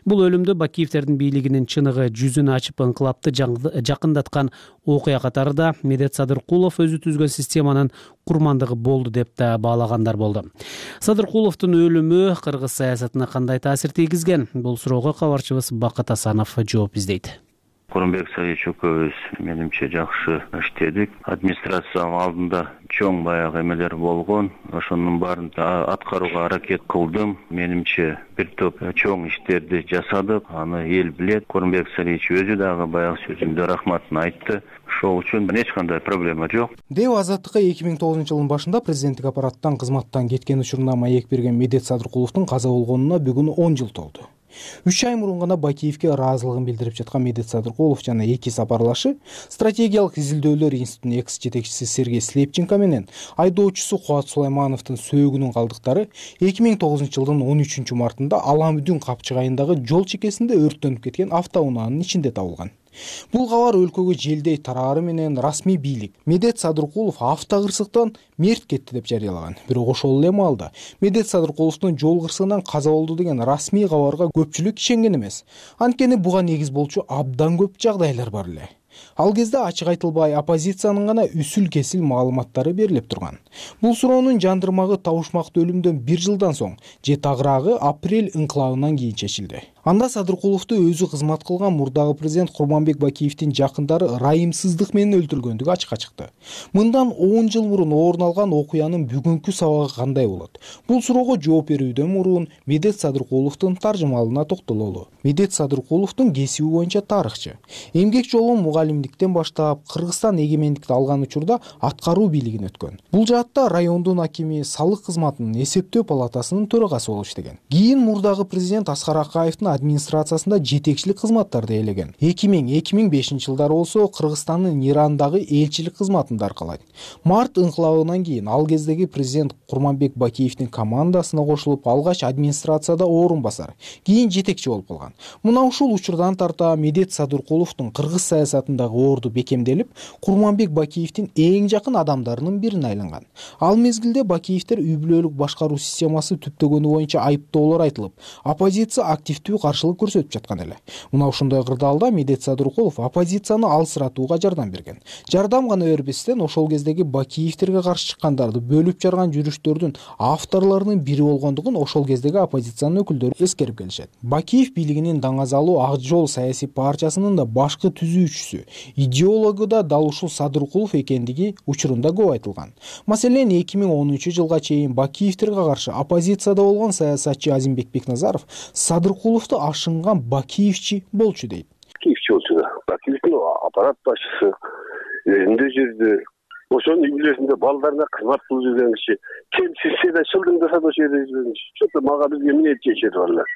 Бул өлүмдү Бакиевдердин бийлигинин чыныгы жүзүн ачып ыңкылапты жакындаткан окуя катары да Медет Садыркулов өзү түзгөн системанын курмандыгы болду деп да баалагандар болду. Садыркуловдун өлүмү кыргыз саясатына кандай таасир тийгизген? Бул суроого кабарчыбыз Бакыт Асанов жооп издейт. Курманбек Саидович экөөбүз менимче жакшы иштедик. Администрация алдында чоң баягы эмелер болгон. Ошонун баарын аткарууга аракет кылдым. Менимче бир топ чоң иштерди жасадык. Аны эл билет. Курманбек Саидович өзү дагы баягы сөзүндө рахматын айтты. Ошол үчүн эч кандай проблема жок. Деп Азаттыкка 2009-жылдын башында президенттик аппараттан кызматтан кеткен учурунда маек берген Медет Садыркуловдун каза болгонуна бүгүн 10 жыл толду. 3 ай мурун гана Бакиевге ыраазылыгын билдирип жаткан Медет Садыркулов жана эки сапарлашы стратегиялык изилдөөлөр институтунун экс-жетекчиси Сергей Слепченко менен айдоочусу Кубат Сулаймановдун сөөгүнүн калдыктары 2009-жылдын 13 мартында Аламүдүн Капчык айындагы жол чекесинде өрттөнүп кеткен автоунаанын ичинде табылган. Бул кабар өлкөгө желдей тараары менен расмий бийлик Медет Садыркулов автокырсыктан мерт кетти деп жарыялаган. Бирок ошол эле маалда Медет Садыркуловдун жол кырсыгынан каза болду деген расмий кабарга көпчүлүк ишенген эмес. Анткени буга негиз болчу абдан көп жагдайлар бар эле. Ал кезде ачык айтылбай оппозициянын гана үсүл-кесил маалыматтары берилип турган. Бул суроонун жандырмагы табышмактуу өлүмдөн 1 жылдан соң же тагыраагы апрель ыңкылабынан кийин чечилди. Анда Садыркуловду өзү кызмат кылган мурдагы президент Курманбек Бакиевдин жакындары ырайымсыздык менен өлтүргөндүгү ачыкка чыкты. Мындан 10 жыл мурун орун алган окуянын бүгүнкү сабагы кандай болот? Бул суроого жооп берүүдөн мурун Медет Садыркуловдун таржымалына токтололу. Медет Садыркуловдун кесиби боюнча тарыхчы. Эмгек жолун мугалимдиктен баштап Кыргызстан эгемендикти алган учурда аткаруу бийлигин өткөн. Бул жаатта райондун акими, салык кызматынын эсептөө палатасынын төрагасы болуп иштеген. Кийин мурдагы президент Аскар Акаевдин администрациясында жетекчилик кызматтарды ээлеген. 2000-2005 жылдары болсо Кыргызстандын Ирандагы элчилик кызматында аркалайт. Март ыңкылабынан кийин ал кездеги президент Курманбек Бакиевдин командасына кошулуп, алгач администрацияда орун басар, кийин жетекчи болуп калган. Мына ушул учурдан тарта Медет Садыркуловдун кыргыз саясатындагы орду бекемделип, Курманбек Бакиевдин эң жакын адамдарынын бирине айланган. Ал мезгилде Бакиевдер үй бүлөлүк башкаруу системасы түптөгөнү боюнча айыптоолор айтылып, оппозиция активдүү каршылык көрсөтүп жаткан эле. Мына ушундай кырдаалда Медет Садыркулов оппозицияны алсыратууга жардам берген. Жардам гана бербестен ошол кездеги Бакиевтерге каршы чыккандарды бөлүп жарган жүрүштөрдүн авторлорунун бири болгондугун ошол кездеги оппозициянын өкүлдөрү эскерип келишет. Бакиев бийлигинин даңазалуу Ак жол саясий партиясынын да башкы түзүүчүсү, идеологу да дал ушул Садыркулов экендиги учурунда көп айтылган. Маселен 2010 жылга чейин Бакиевтерге каршы оппозицияда болгон саясатчы Азимбек Бекназаров Садыркуловду ашынган Бакиевчи болчу дейт. Бакиевчи болчу да. Бакиевдин аппарат башчысы элинде жүрдү. Ошонун үй бүлөсүндө балдарына кызмат кылып жүрген киши. Кем сизсе да шылдыңдаса да ошол жерде жүргөн киши. Чөтө мага бизге эмне чечет балдар.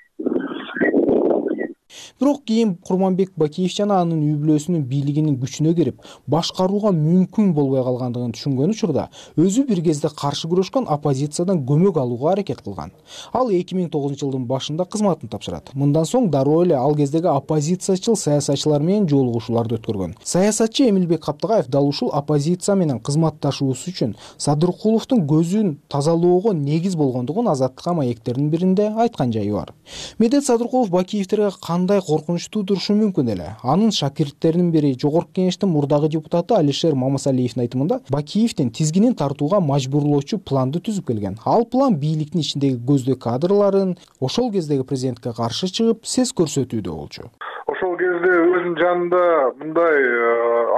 Бирок кийин Курманбек Бакиев жана анын үй бүлөсүнүн бийлигинин күчүнө кирип, башкарууга мүмкүн болбой калгандыгын түшүнгөн учурда өзү бир кезде каршы күрөшкөн оппозициядан көмөк алууга аракет кылган. Ал 2009 жылдын башында кызматын тапшырат. Мындан соң дароо эле ал кездеги оппозициячыл саясатчылар менен жолугушууларды өткөргөн. Саясатчы Эмилбек Каптыгаев дал ушул оппозиция менен кызматташуусу үчүн Садыркуловдун көзүн тазалоого негиз болгондугун Азаттыкка маектердин биринде айткан жайы бар. Медет Садыркулов Бакиевтерге кандай коркунучтуу турушу мүмкүн эле. Анын шакирттеринин бири Жогорку Кеңештин мурдагы депутаты Алишер Мамасалиевдин айтымында Бакиевдин тизгинин тартууга мажбурлоочу планды түзүп келген. Ал план бийликтин ичиндеги көздөй кадрларын ошол кездеги президентке каршы чыгып, сес көрсөтүүдө болчу. Ошол кезде өзүнүн жанында мындай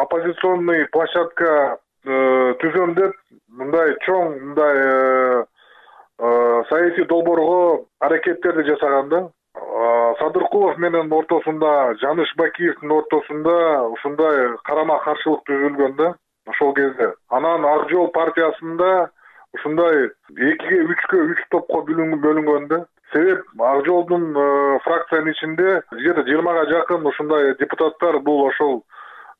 оппозиционный площадка түзөм деп мындай чоң мындай саясий долбоорго аракеттерди жасаган да. Садыркулов менен ортосунда, Жаныш Бакиевдин ортосунда ушундай карама каршылык түзүлгөн да ошол кезде. Анан Ак жол партиясында ушундай 2-ге 3-кө 3 топко бөлүнгөн да. Себеп Ак жолдун фракциянын ичинде 20-га жакын ушундай депутаттар бул ошол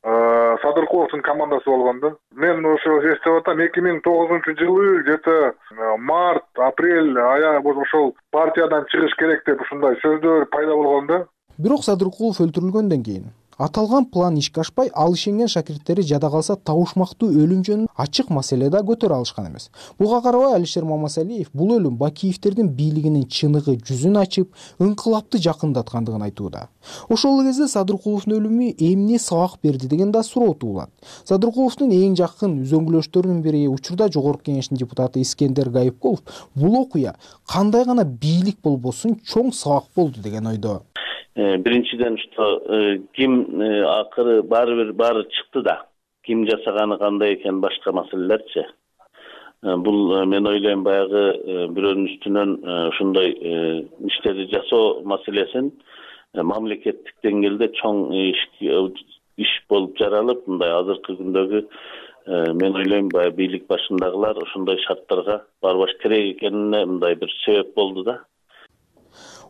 Садыркуловдун командасы болгон да. Мен ошо эстеп атам 2009 жылы где-то март, апрель ошол партиядан чыгыш керек деп ушундай сөздөр пайда болгон да. Бирок Садыркулов өлтүрүлгөндөн кийин аталган план ишке ашпай, ал ишенген шакирттери жада калса табышмактуу өлүм жөнүндө ачык маселе да көтөрө алышкан эмес. Буга карабай Алишер Мамасалиев бул өлүм Бакиевтердин бийлигинин чыныгы жүзүн ачып, ыңкылапты жакындаткандыгын айтууда. Ошол кезде Садыркуловдун өлүмү эмне сабак берди деген да суроо туулат. Садыркуловдун эң жакын үзөңгүлөштөрүнүн бири учурда Жогорку Кеңештин депутаты Искендер Гайыпкулов бул окуя кандай гана бийлик болбосун чоң сабак болду деген ойдо. Биринчиден ким акыры баары чыкты да. Ким жасаганы кандай экен башка маселелерчи. Бул мен ойлойм баягы бирөөнүн үстүнөн ушундай иштерди жасоо маселесин мамлекеттик деңгээлде чоң иш болуп жаралып, мындай азыркы күндөгү мен ойлойм баягы бийлик башындагылар ушундай шарттарга барбаш керек экенине мындай бир себеп болду да.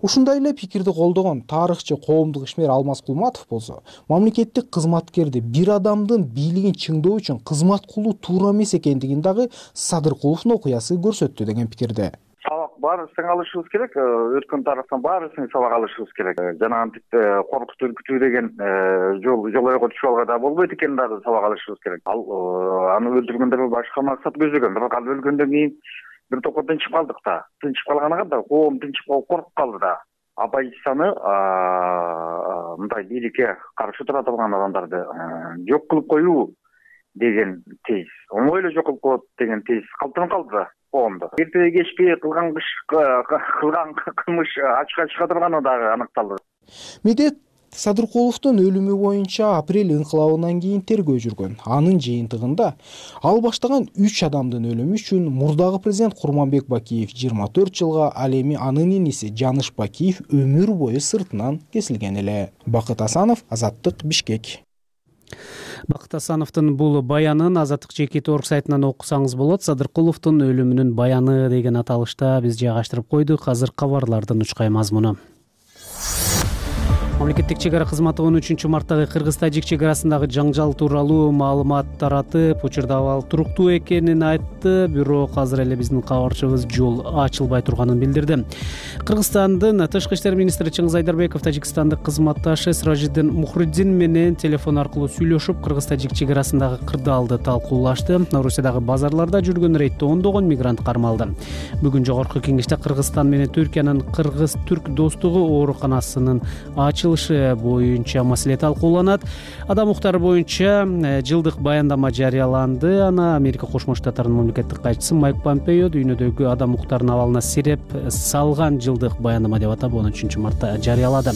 Ушундай эле пикирди колдогон тарыхчы, коомдук ишмер Алмаз Кулматов болсо, мамлекеттик кызматкерди бир адамдын бийлигин чыңдоо үчүн кызмат кылуу туура эмес экендигин дагы Садыркуловдун окуясы көрсөттү деген пикирде. Сабак баарыбыздан алышыбыз керек, өткөн тарыхтан баарыбыздан сабак алышыбыз керек. Жанагынтип коркутуу, үркүтүү деген жол ойго түшүп алга да болбойт экенин дагы сабак алышыбыз керек. Ал аны өлтүргөндө башка максат көздөгөн, бирок ал өлгөндөн кийин бир топко тынчып калдык да. Тынчып калганга да коом тынчып калып коркуп калды да. Оппозицияны мындай бийликке каршы тура турган адамдарды жок кылып коюу деген тез, оңой эле жок кылып коет деген тез калыптанып калды да коомдо. Эртеге кечки кылган кылмыш ачыкка чыга турганы дагы аныкталды. Медет Садыркуловдун өлүмү боюнча апрель инкылабынан кийин тергөө жүргөн. Анын жыйынтыгында ал баштаган 3 адамдын өлүмү үчүн мурдагы президент Курманбек Бакиев 24 жылга, ал эми анын иниси Жаныш Бакиев өмүр бою сыртынан кесилген эле. Бакыт Асанов, Азаттык, Бишкек. Бакыт Асановдун бул баянын Азаттык жеке орг сайтынан окусаңыз болот. Садыркуловдун өлүмүнүн баяны деген аталышта биз жайгаштырып койдук. Азыр кабарлардын учкай мазмуну. Мамлекеттик чек ара кызматы 13 марттагы Кыргыз-Тажик чек арасындагы жаңжал тууралуу маалымат таратып, учурда абал туруктуу экенин айтты, бирок азыр эле биздин кабарчыбыз жол ачылбай турганын билдирди. Кыргызстандын тышкы иштер министри Чыңгыз Айдарбеков тажикстандык кызматташы Сиражиддин Мухриддин менен телефон аркылуу сүйлөшүп, Кыргыз-Тажик чек арасындагы кырдаалды талкуулашты. Орусиядагы базарларда жүргөн рейдде ондогон мигрант кармалды. Бүгүн жогорку кеңеште Кыргызстан менен Түркиянын Кыргыз-Түрк достугу ооруканасынын ачылышы боюнча маселе талкууланат. Адам укуктары боюнча жылдык баяндама жарыяланды. Аны Америка Кошмо Штаттарынын мамлекеттик катчысы Майк Помпео дүйнөдөгү адам укуктарынын абалына сиреп салган жылдык баяндама деп атап 13 мартта жарыялады.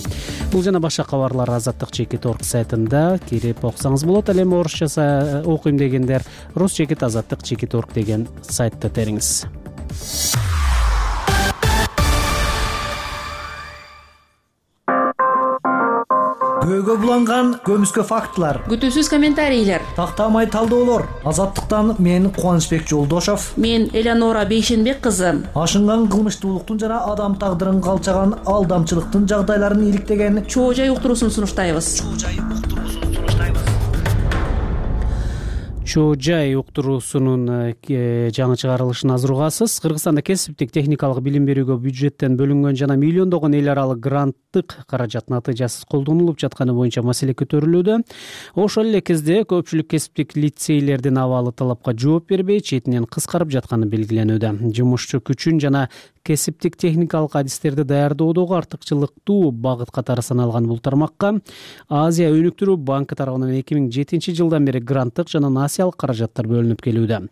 Бул жана башка кабарлар Азаттык чекит орг сайтында кирип окусаңыз болот. Ал эми орусча окуйм дегендер Рус чекит Азаттык чекит орг деген сайтты териңиз. Көйгө буланган көмүскө фактылар, күтүүсүз комментарийлер, тактамай талдоолор. Азаттыктан мен Кубанычбек Жолдошов, мен Элеонора Бейшенбек кызы. Ашынган кылмыштуулуктун жана адам тагдырын калчаган алдамчылыктын жагдайларын иликтеген чоо жай уктуруусун сунуштайбыз. Чоо жай уктуруусунун жаңы чыгарылышын азыр угасыз. Кыргызстанда кесиптик техникалык билим берүүгө бюджеттен бөлүнгөн жана миллиондогон эл аралык гранттык каражат натыйжасыз колдонулуп жатканы боюнча маселе көтөрүлүүдө. Ошол эле кезде көпчүлүк кесиптик лицейлердин абалы талапка жооп бербей, четинен кыскарып жатканы белгиленүүдө. Жумушчу күчүн жана кесиптик техникалык адистерди даярдоодогу артыкчылыктуу багыт катары саналган бул тармакка Азия өнүктүрүү банкы тарабынан 2007 жылдан бери гранттык жана насиялык каражаттар бөлүнүп келүүдө.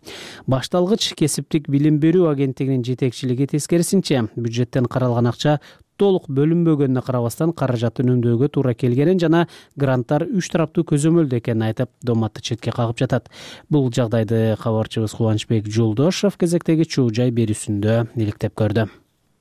Башталгыч кесиптик билим берүү агенттигинин жетекчилиги тескерисинче, бюджеттен каралган акча толук бөлүнбөгөнүнө карабастан каражатты үнөмдөөгө туура келгенин жана гранттар 3 тараптуу көзөмөлдө экенин айтып, доматты четке кагып жатат. Бул жагдайды кабарчыбыз Кубанычбек Жолдошов кезектеги чоо жай берүүсүндө иликтеп көрдү.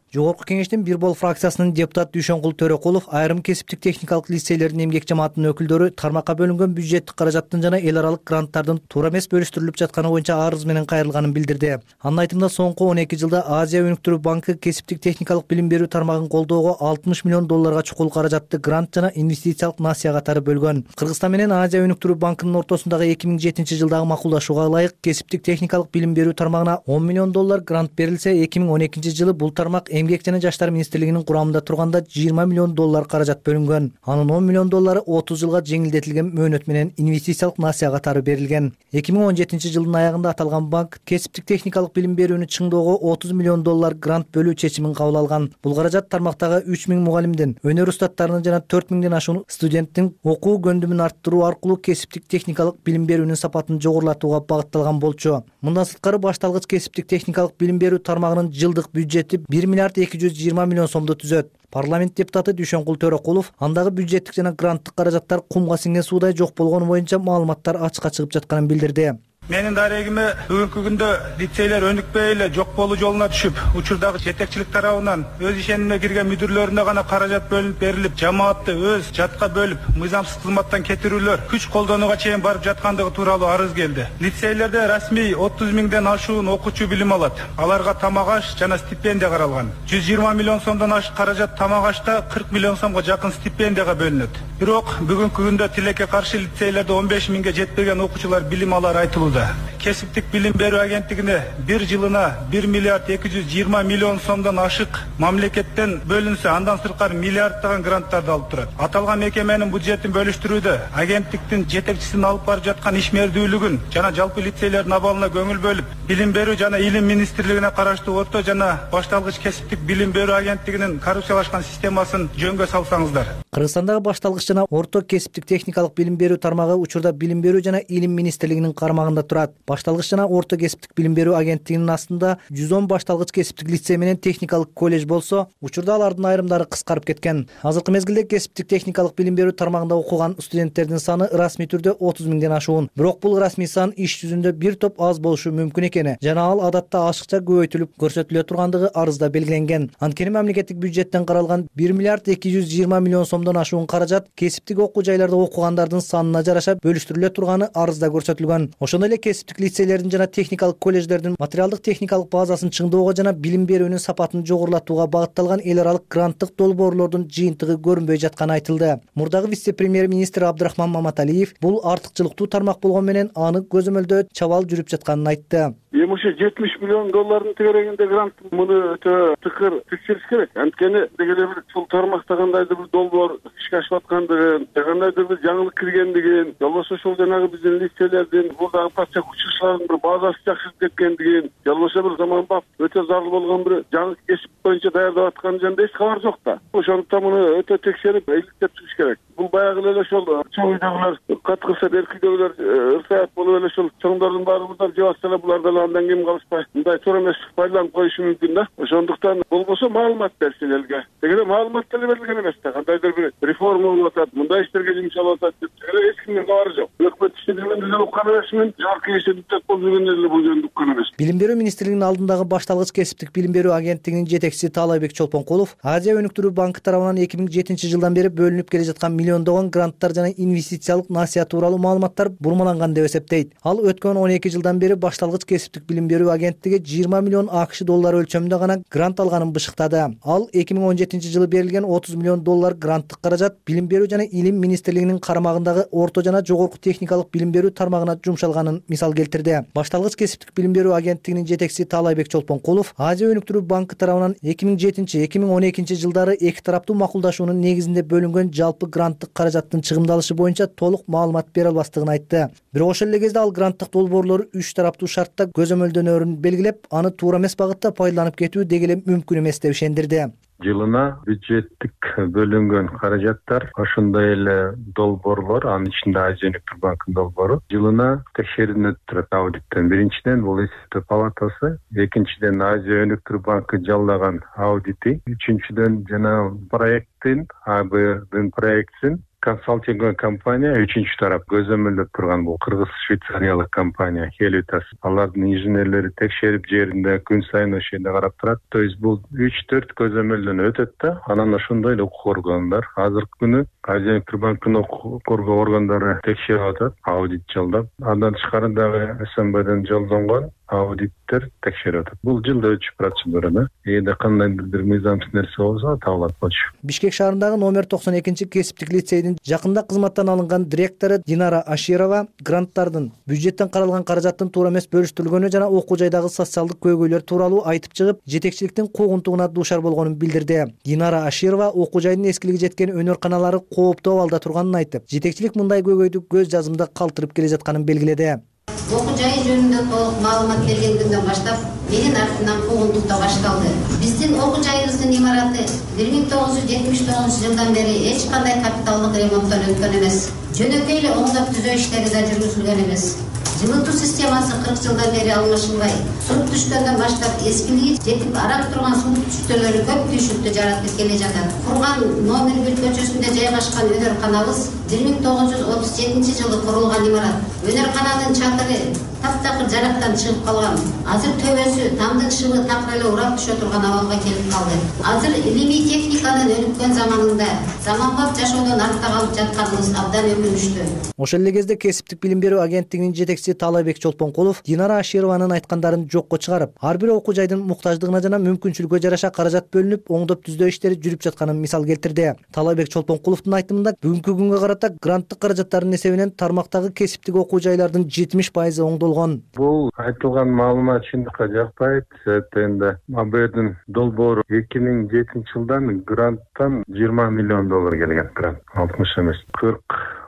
Жогорку кеңештин бир бол фракциясынын депутаты Дүйшөнкул Төрөкулов айрым кесиптик техникалык лицейлердин эмгек жамаатынын өкүлдөрү тармакка бөлүнгөн бюджеттик каражаттын жана эл аралык гранттардын туура эмес бөлүштүрүлүп жатканы боюнча арыз менен кайрылганын билдирди. Анын айтымында соңку 12 жылда Азия өнүктүрүү банкы кесиптик техникалык билим берүү тармагын колдоого $60 миллион чукул каражатты грант жана инвестициялык насыя катары бөлгөн. Кыргызстан менен Азия өнүктүрүү банкынын ортосундагы 2007 жылдагы макулдашууга ылайык кесиптик техникалык билим берүү тармагына $10 миллион грант берилсе, 2012 жылы бул тармак Эмгек жана жаштар министрлигинин курамында турганда $20 миллион каражат бөлүнгөн. Анын $10 миллион 30 жылга жеңилдетилген мөөнөт менен инвестициялык насыя катары берилген. 2017 жылдын аягында аталган банк кесиптик техникалык билим берүүнү чыңдоого $30 миллион грант бөлүү чечимин кабыл алган. Бул каражат тармактагы 3000 мугалимдин, өнөр устаттарынын жана 4000ден ашуун студенттин окуу көндүмүн арттыруу аркылуу кесиптик техникалык билим берүүнүн сапатын жогорулатууга багытталган болчу. Мындан сырткары башталгыч кесиптик техникалык билим берүү тармагынын жылдык бюджети $1,220 миллион түзөт. Парламент депутаты Дүйшөнкул Төрөкулов андагы бюджеттик жана гранттык каражаттар кумга сиңген суудай жок болгону боюнча маалыматтар ачыкка чыгып жатканын билдирди. Менин дарегиме бүгүнкү күндө лицейлер өнүкпөй эле жок болуу жолуна түшүп, учурдагы жетекчилик тарабынан өз ишенимине кирген мүдүрлөрүнө гана каражат бөлүнүп берилип, жамаатты өз жатка бөлүп, мыйзамсыз кызматтан кетирүүлөр, күч колдонууга чейин барып жаткандыгы тууралуу арыз келди. Лицейлерде расмий 30 миңден ашуун окуучу билим алат. Аларга тамак аш жана стипендия каралган. $120 миллион ашык каражат тамак ашта, $40 миллион жакын стипендияга бөлүнөт. Бирок бүгүнкү күндө тилекке каршы лицейлерде 15 миңге жетпеген окуучулар билим алары айтылууда. Кесиптик билим берүү агенттигине бир жылына $1,220 миллион ашык мамлекеттен бөлүнсө, андан сырткары миллиарддаган гранттарды алып турат. Аталган мекеменин бюджетин бөлүштүрүүдө агенттиктин жетекчисинин алып бара жаткан ишмердүүлүгүн жана жалпы лицейлердин абалына көңүл бөлүп, билим берүү жана илим министрлигине караштуу орто жана башталгыч кесиптик билим берүү агенттигинин коррупциялашкан системасын жөнгө салсаңыздар. Кыргызстандагы башталгыч жана орто кесиптик техникалык билим берүү тармагы учурда билим берүү жана илим министрлигинин кармагында турат. Башталгыч жана орто кесиптик билим берүү агенттигинин астында 110 башталгыч кесиптик лицей менен техникалык колледж болсо, учурда алардын айрымдары кыскарып кеткен. Азыркы мезгилде кесиптик техникалык билим берүү тармагында окуган студенттердин саны расмий түрдө 30 миңден ашуун. Бирок бул расмий сан иш жүзүндө бир топ аз болушу мүмкүн экени жана ал адатта ашыкча көбөйтүлүп көрсөтүлө тургандыгы арызда белгиленген. Анткени мамлекеттик бюджеттен каралган 1 миллиард 220 миллион сомдон ашуун каражат кесиптик окуу жайларда окугандардын санына жараша бөлүштүрүлө турганы арызда көрсөтүлгөн. Ошондой эле кесиптик лицейлердин жана техникалык колледждердин материалдык техникалык базасын чыңдоого жана билим берүүнүн сапатын жогорулатууга багытталган эл аралык гранттык долбоорлордун жыйынтыгы көрүнбөй жатканы айтылды. Мурдагы вице-премьер-министр Абдрахман Маматалиев бул артыкчылыктуу тармак болгон менен аны көзөмөлдөө чабал жүрүп жатканын айтты. Эми ошо 70 миллион доллардын тегерегинде грант муну өтө тыкыр текшериш керек. Анткени дегеле бир ушул тармакта кандайдыр бир долбоор ишке ашып аткандыгын, кандайдыр бир жаңылык киргендигин, болбосо ошол жанагы биздин лицейлердин бурдагы патча учурларынын бир базасы жакшырып кеткендигин, болбосо бир заманбап өтө зарыл болгон бир жаңы кесип боюнча даярдап атканы жөнүндө эч кабар жок да. Ошондуктан муну өтө текшерип, иликтеп чыгыш керек. Бул баягы эле ошол чоң үйдөгүлөр каткырса эркидөгүлөр ырсаят болуп эле ошол чоңдордун баары мындай жабатса эле булардан андан кем калышпай мындай туура эмес пайдаланып коюшу мүмкүн да. Ошондуктан болбосо маалымат берсин элге. Дегеле маалымат деле берилген эмес да. Кандайдыр бир реформа болуп атат, мындай иштерге жумшалып атат деп эч кимдин кабары жок. Өкмөт иштегенде деле уккан эмесмин, жогорку кеңеште болуп жүргөндө деле бул жөнүндө уккан эмес. Билим берүү министрлигинин алдындагы башталгыч кесиптик билим берүү агенттигинин жетекчиси Таалайбек Чолпонкулов Азия өнүктүрүү банкы тарабынан 2007 жылдан бери бөлүнүп келе жаткан миллиондогон гранттар жана инвестициялык насыят тууралуу маалыматтар бурмаланган деп эсептейт. Ал өткөн 12 жылдан бери башталгыч кесиптик билим берүү агенттиги 20 миллион АКШ доллары өлчөмүндө гана грант алганын бышыктады. Ал 2017 жылы берилген 30 миллион доллар гранттык каражат билим берүү жана илим министрлигинин карамагындагы орто жана жогорку техникалык билим берүү тармагына жумшалганын мисал келтирди. Башталгыч кесиптик билим берүү агенттигинин жетекчиси Таалайбек Чолпонкулов Азия өнүктүрүү банкы тарабынан 2007-2012 жылдары эки тараптуу макулдашуунун негизинде бөлүнгөн жалпы гранттык каражаттын чыгымдалышы боюнча толук маалымат бере албастыгын айтты. Бирок ошол эле кезде ал гранттык долбоорлору 3 тараптуу шартта көзөмөлдөнөрүн белгилеп, аны туура эмес багытта пайдаланып кетүү дегеле мүмкүн эмес деп ишендирди. Жылына бюджеттик бөлүнгөн каражаттар ошондой эле долбоорлор, анын ичинде Азия өнүктүрүү банкынын долбоору жылына текшерилип турат аудиттен. Биринчиден бул эсептөө палатасы, экинчиден Азия өнүктүрүү банкы жалдаган аудити, үчүнчүдөн жана проекттин АБдын проектин консалтинг компания үчүнчү тарап көзөмөлдөп турган бул кыргыз-швейцариялык компания Хелитас. Алардын инженерлери текшерип жеринде күн сайын ошол жерде карап турат. То есть бул 3-4 көзөмөлдөн өтөт да, анан ошондой эле укук органдар азыркы күнү Азия өнүктүрүү банкынын укук коргоо органдары текшерип атат, аудит жалдап. Андан тышкары дагы СМБден жолдонгон аудиттер текшерип атат. Бул жылда өтүп процедура да. Эгерде кандайдыр бир мыйзамсыз нерсе болсо табылат болчу. Бишкек шаарындагы номер 92 кесиптик лицейдин жакында кызматтан алынган директору Динара Аширова гранттардын бюджеттен каралган каражаттын туура эмес бөлүштүрүлгөнү жана окуу жайдагы социалдык көйгөйлөр тууралуу айтып чыгып, жетекчиликтин куугунтугуна дуушар болгонун билдирди. Динара Аширова окуу жайдын эскилиги жеткен өнөр-каналары кооптуу абалда турганын айтып, жетекчилик мындай көйгөйдү көз жазымда калтырып келе жатканын белгиледи. Окуу жай жөнүндө толук маалымат берген күндөн баштап менин артымдан куугунтуктоо башталды. Биздин окуу жайыбыздын имараты 1979 жылдан бери эч кандай капиталдык ремонттон өткөн эмес. Жөнөкөй эле оңдоп түзөө иштери да жүргүзүлгөн эмес. Жылытуу системасы 40 жылдан бери алмашылбай, суу түшкөндөн баштап эскилиги жетип арак турган суу түштөлөрү көп түйшүктү жаратып келе жатат. Курган номер 1 көчөсүндө жайгашкан өнөр-каналыбыз 1937 жылы курулган имарат. Өнөр-каналдын чатыры таптакыр жарактан чыгып калган. Азыр төбөсү тамдын шыбы такыр эле урап түшө турган абалга келип калды. Азыр илимий техниканын өнүккөн заманында заманбап жашоодон артта калып жатканыбыз абдан өкүнүчтүү. Ошол эле кезде кесиптик билим берүү агенттигинин жетекчиси Таалайбек Чолпонкулов Динара Ашированын айткандарын жокко чыгарып, ар бир окуу жайдын муктаждыгына жана мүмкүнчүлүгүнө жараша каражат бөлүнүп, оңдоп түздөө иштери жүрүп жатканын мисал келтирди. Таалайбек Чолпонкуловдун айтымында бүгүнкү күнгө карата гранттык каражаттардын эсебинен тармактагы кесиптик окуу жайлардын 70% оңдолгон. Бул айтылган маалымат чындыкка жакпайт. Энди АБдын долбоору 2007 жылдан гранттан 20 миллион доллар келген. Грант 60 эмес, 40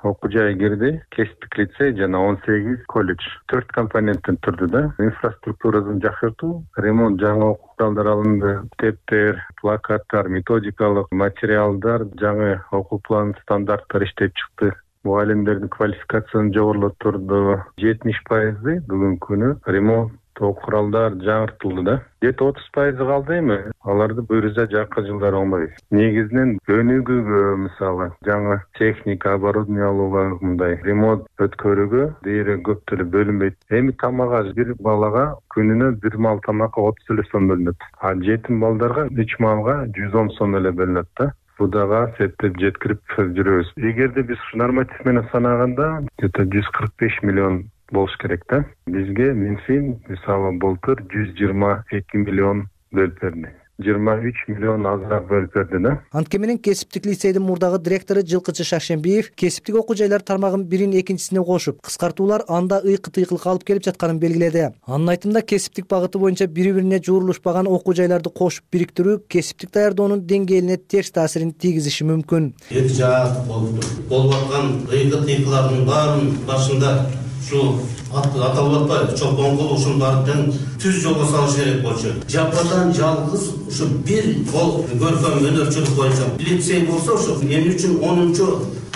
окуу жай кирди, кесиптик лицей жана 18 колледж. 4 компоненттен турду да. Инфраструктурасын жакшыртуу, ремонт, жаңы окуу куралдар алынды, китептер, плакаттар, методикалык материалдар, жаңы окуу план стандарттар иштеп чыкты. мугалимдердин квалификациясын жогорулатурду. 70% бүгүнкү күнү ремонт куралдар жаңыртылды да. 30% калды эми. Аларды буюрса жакын жылдары оңбойбуз. Негизинен өнүгүүгө, мисалы, жаңы техника, оборудование алууга, мындай ремонт өткөрүүгө дейре көп деле бөлүнбөйт. Эми тамага бир балага күнүнө бир маал тамакка 30 эле сом бөлүнөт. А жетим балдарга 3 маалга 110 сом эле бөлүнөт да. Будага септеп жеткирип жүрөбүз. Эгерде биз норматив менен санаганда, где-то 145 миллион болуш керек да. Бизге Минфин мисалы былтыр 122 миллион бөлүп берди. 23 миллион азыраак бөлүп берди да. Антке менен кесиптик лицейдин мурдагы директору Жылкычы Шакшембиев кесиптик окуу жайлар тармагын бирин экинчисине кошуп, кыскартуулар анда ыйкы-тыйкылык алып келип жатканын белгиледи. Анын айтымында кесиптик багыты боюнча бири-бирине жуурулушпаган окуу жайларды кошуп бириктирүү кесиптик даярдоонун деңгээлине терс таасирин тийгизиши мүмкүн. Эки жаат болуп аткан ыйкы-тыйкылардын баарын башында ушу аталып атпайбы, чолпон кол ушунун баарын тең түз жолго салыш керек болчу. Жападан жалгыз ушу бир кол көркөм өнөрчүлүк боюнча лицей болсо, ушу эмне үчүн 10-чу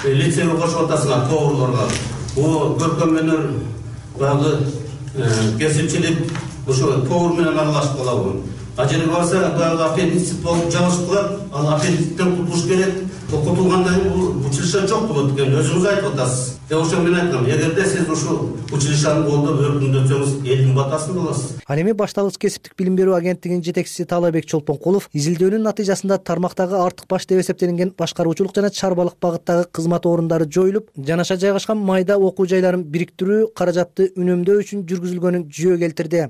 лицейге кошуп атасыңар тоорлорго. Бул көркөм өнөр багы кесипчилик ушу тоор менен аралашып калабы. А жерге барса, баягы аппендицит болуп жабышып, ал аппендициттен кутулуш керек. Окутулгандан кийин бул училище жок болот экен, өзүңүз айтып атасыз. Ошо мен айткам, эгерде сиз ушу училищени колдоп өркүндөтсөңүз, элдин батасын аласыз. Ал эми башталгыч кесиптик билим берүү агенттигинин жетекчиси Таалайбек Чолпонкулов изилдөөнүн натыйжасында тармактагы артык баш деп эсептелинген башкаруучулук жана чарбалык багыттагы кызмат орундары жоюлуп, жанаша жайгашкан майда окуу жайларын бириктирүү каражатты үнөмдөө үчүн жүргүзүлгөнүн жүйө келтирди.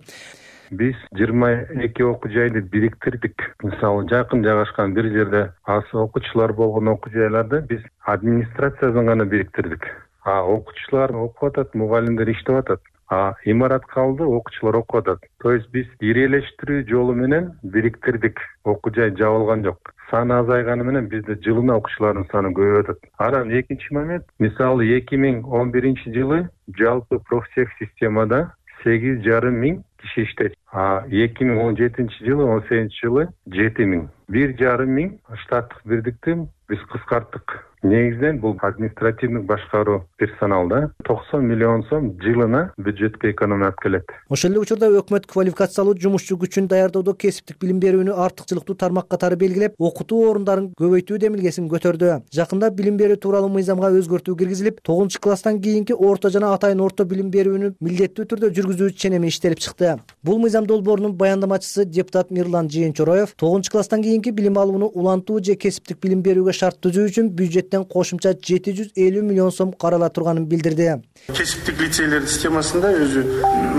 Биз 22 окуу жайды бириктирдик. Мисалы, жакын жайгашкан бир жерде аз окуучулар болгон окуу жайларды биз администрациядан гана бириктирдик. А окуучулар окуп атат, мугалимдер иштеп атат. А имарат калды, окуучулар окуп атат. То есть биз ирелештирүү жолу менен бириктирдик. Окуу жай жабылган жок. Саны азайганы менен бизде жылына окуучулардын саны көбөйүп атат. Анан экинчи момент, мисалы 2011-жылы жалпы профтех системада 8,5 миң киши иштейт. А 2017-жылы, 18-жылы 7 миң. 1,5 миң штаттык бирдикти биз кыскарттык. Негизинен бул административдик башкаруу персоналда 90 миллион сом жылына бюджетке экономия алып келет. Ошол эле учурда өкмөт квалификациялуу жумушчу күчүн даярдоодо кесиптик билим берүүнү артыкчылыктуу тармак катары белгилеп, окутуу орундарын көбөйтүү демилгесин көтөрдү. Жакында билим берүү тууралуу мыйзамга өзгөртүү киргизилип, 9-класстан кийинки орто жана атайын орто билим берүүнү милдеттүү түрдө жүргүзүү ченеми иштелип чыкты. Бул мыйзам долбоорунун баяндамачысы депутат Мирлан Жыйынчороев 9-класстан кийинки билим алууну улантуу же кесиптик билим берүүгө шарт түзүү үчүн бюджеттен кошумча 750 миллион сом карала турганын билдирди. Кесиптик лицейлердин системасында өзү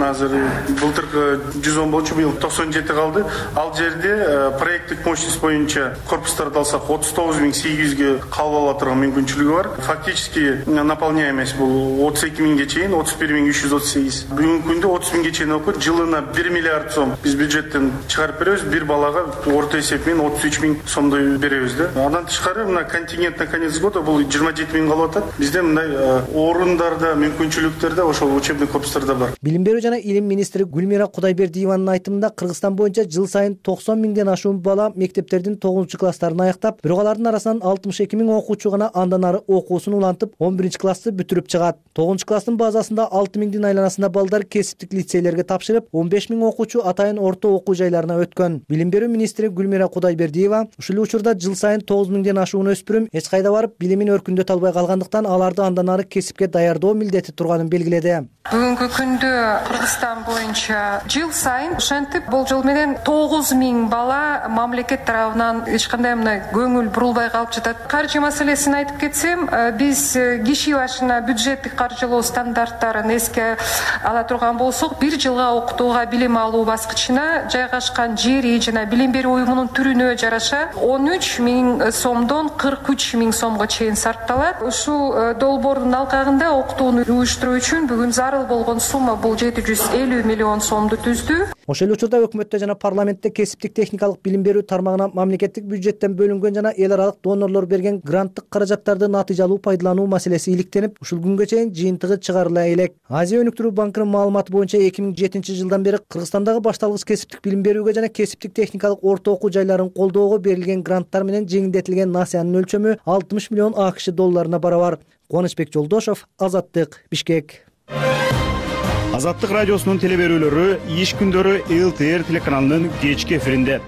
азыр былтыркы 110 болчу, быйыл 97 калды. Ал жерде проекттик мощность боюнча корпустарды алсак 39.800ге кабыл ала турган мүмкүнчүлүгү бар. Фактически наполняемость бул 32 миңге чейин 31.338. Бүгүнкү күндө 30 миңге чейин окуйт, жылына 1 миллиард сом биз бюджеттен чыгарып беребиз. Бир балага орто эсеп менен 33 миң сомдой беребиз да. Андан тышкары мына контингент на конец года бул 27 миң калып атат. Бизде мындай орундарда, мүмкүнчүлүктөрдө ошол учебный корпустарда бар. Билим берүү жана илим министри Гүлмира Кудайбердиеванын айтымында Кыргызстан боюнча жыл сайын 90 миңден ашуун бала мектептердин 9-класстарын аяктап, бирок алардын арасынан 62 миң окуучу гана андан ары окуусун улантып, 11-классты бүтүрүп чыгат. 9-класстын базасында 6 миңдин айланасында балдар кесиптик лицейлерге тапшырып, 15 миң окуучу атайын орто окуу жайларына өткөн. Билим берүү министри Гүлмира Кудайбердиева ушул учурда жыл сайын 9 миңден ашуун өспүрүм эч кайда барып билимин өркүндөтө албай калгандыктан аларды андан ары кесипке даярдоо милдети турганын белгиледи. Бүгүнкү күндө Кыргызстан боюнча жыл сайын ошентип болжол менен 9 миң бала мамлекет тарабынан эч кандай мына көңүл бурулбай калып жатат. Каржы маселесин айтып кетсем, биз киши башына бюджеттик каржылоо стандарттарын эске ала турган болсок, бир жылга окутууга билим алуу баскычына жайгашкан жери жана билим берүү уюмунун түрүнө жараша 13 миң сомдон 43 миң сомго чейин сарпталат. Ушул долбоордун алкагында окутууну уюштуруу үчүн бүгүн зарыл болгон сумма бул 750 миллион сомду түздү. Ошол эле учурда өкмөттө жана парламентте кесиптик техникалык билим берүү тармагына мамлекеттик бюджеттен бөлүнгөн жана эл аралык донорлор берген гранттык каражаттарды натыйжалуу пайдалануу маселеси иликтенип, ушул күнгө чейин жыйынтыгы чыгарыла элек. Азия өнүктүрүү банкынын маалыматы боюнча 2007-жылдан бери Кыргызстандагы башталгыч кесиптик билим берүүгө жана кесиптик техникалык орто окуу жайларын колдоого берилген гранттар менен жеңилдетилген насыянын өлчөмү 60 миллион АКШ долларына барабар. Кубанычбек Жолдошов, Азаттык, Бишкек. Азаттык радиосунун теле берүүлөрү иш күндөрү ЛТР телеканалынын кечки эфиринде.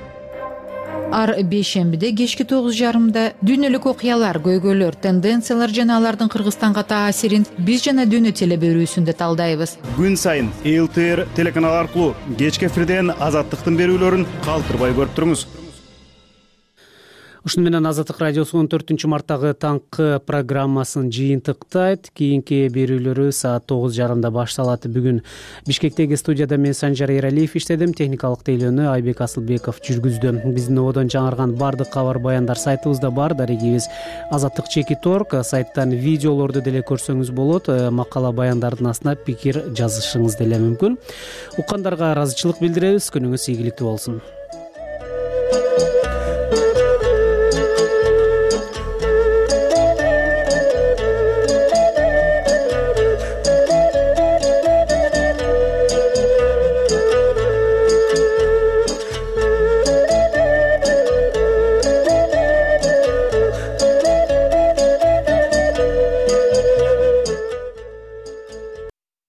Ар бейшембиде кечки 9:30 дүйнөлүк окуялар, көйгөйлөр, тенденциялар жана алардын Кыргызстанга таасирин биз жана дүйнө теле берүүсүндө талдайбыз. Күн сайын ЛТР телеканалы аркылуу кечки эфирден Азаттыктын берүүлөрүн калтырбай көрүп туруңуз. Ушуну менен Азаттык радиосу 14 марттагы таңкы программасын жыйынтыктайт. Кийинки берүүлөрү саат 9:30 башталат. Бүгүн Бишкектеги студияда мен Санжар Эралиев иштедим. Техникалык тейлөөнү Айбек Асылбеков жүргүздү. Биздин ободон жаңырган бардык кабар баяндар сайтыбызда бар. Дарегибиз Азаттык.org. Сайттан видеолорду деле көрсөңүз болот. Макала баяндардын астына пикир жазышыңыз деле мүмкүн. Уккандарга ыраазычылык билдиребиз. Күнүңүз ийгиликтүү болсун.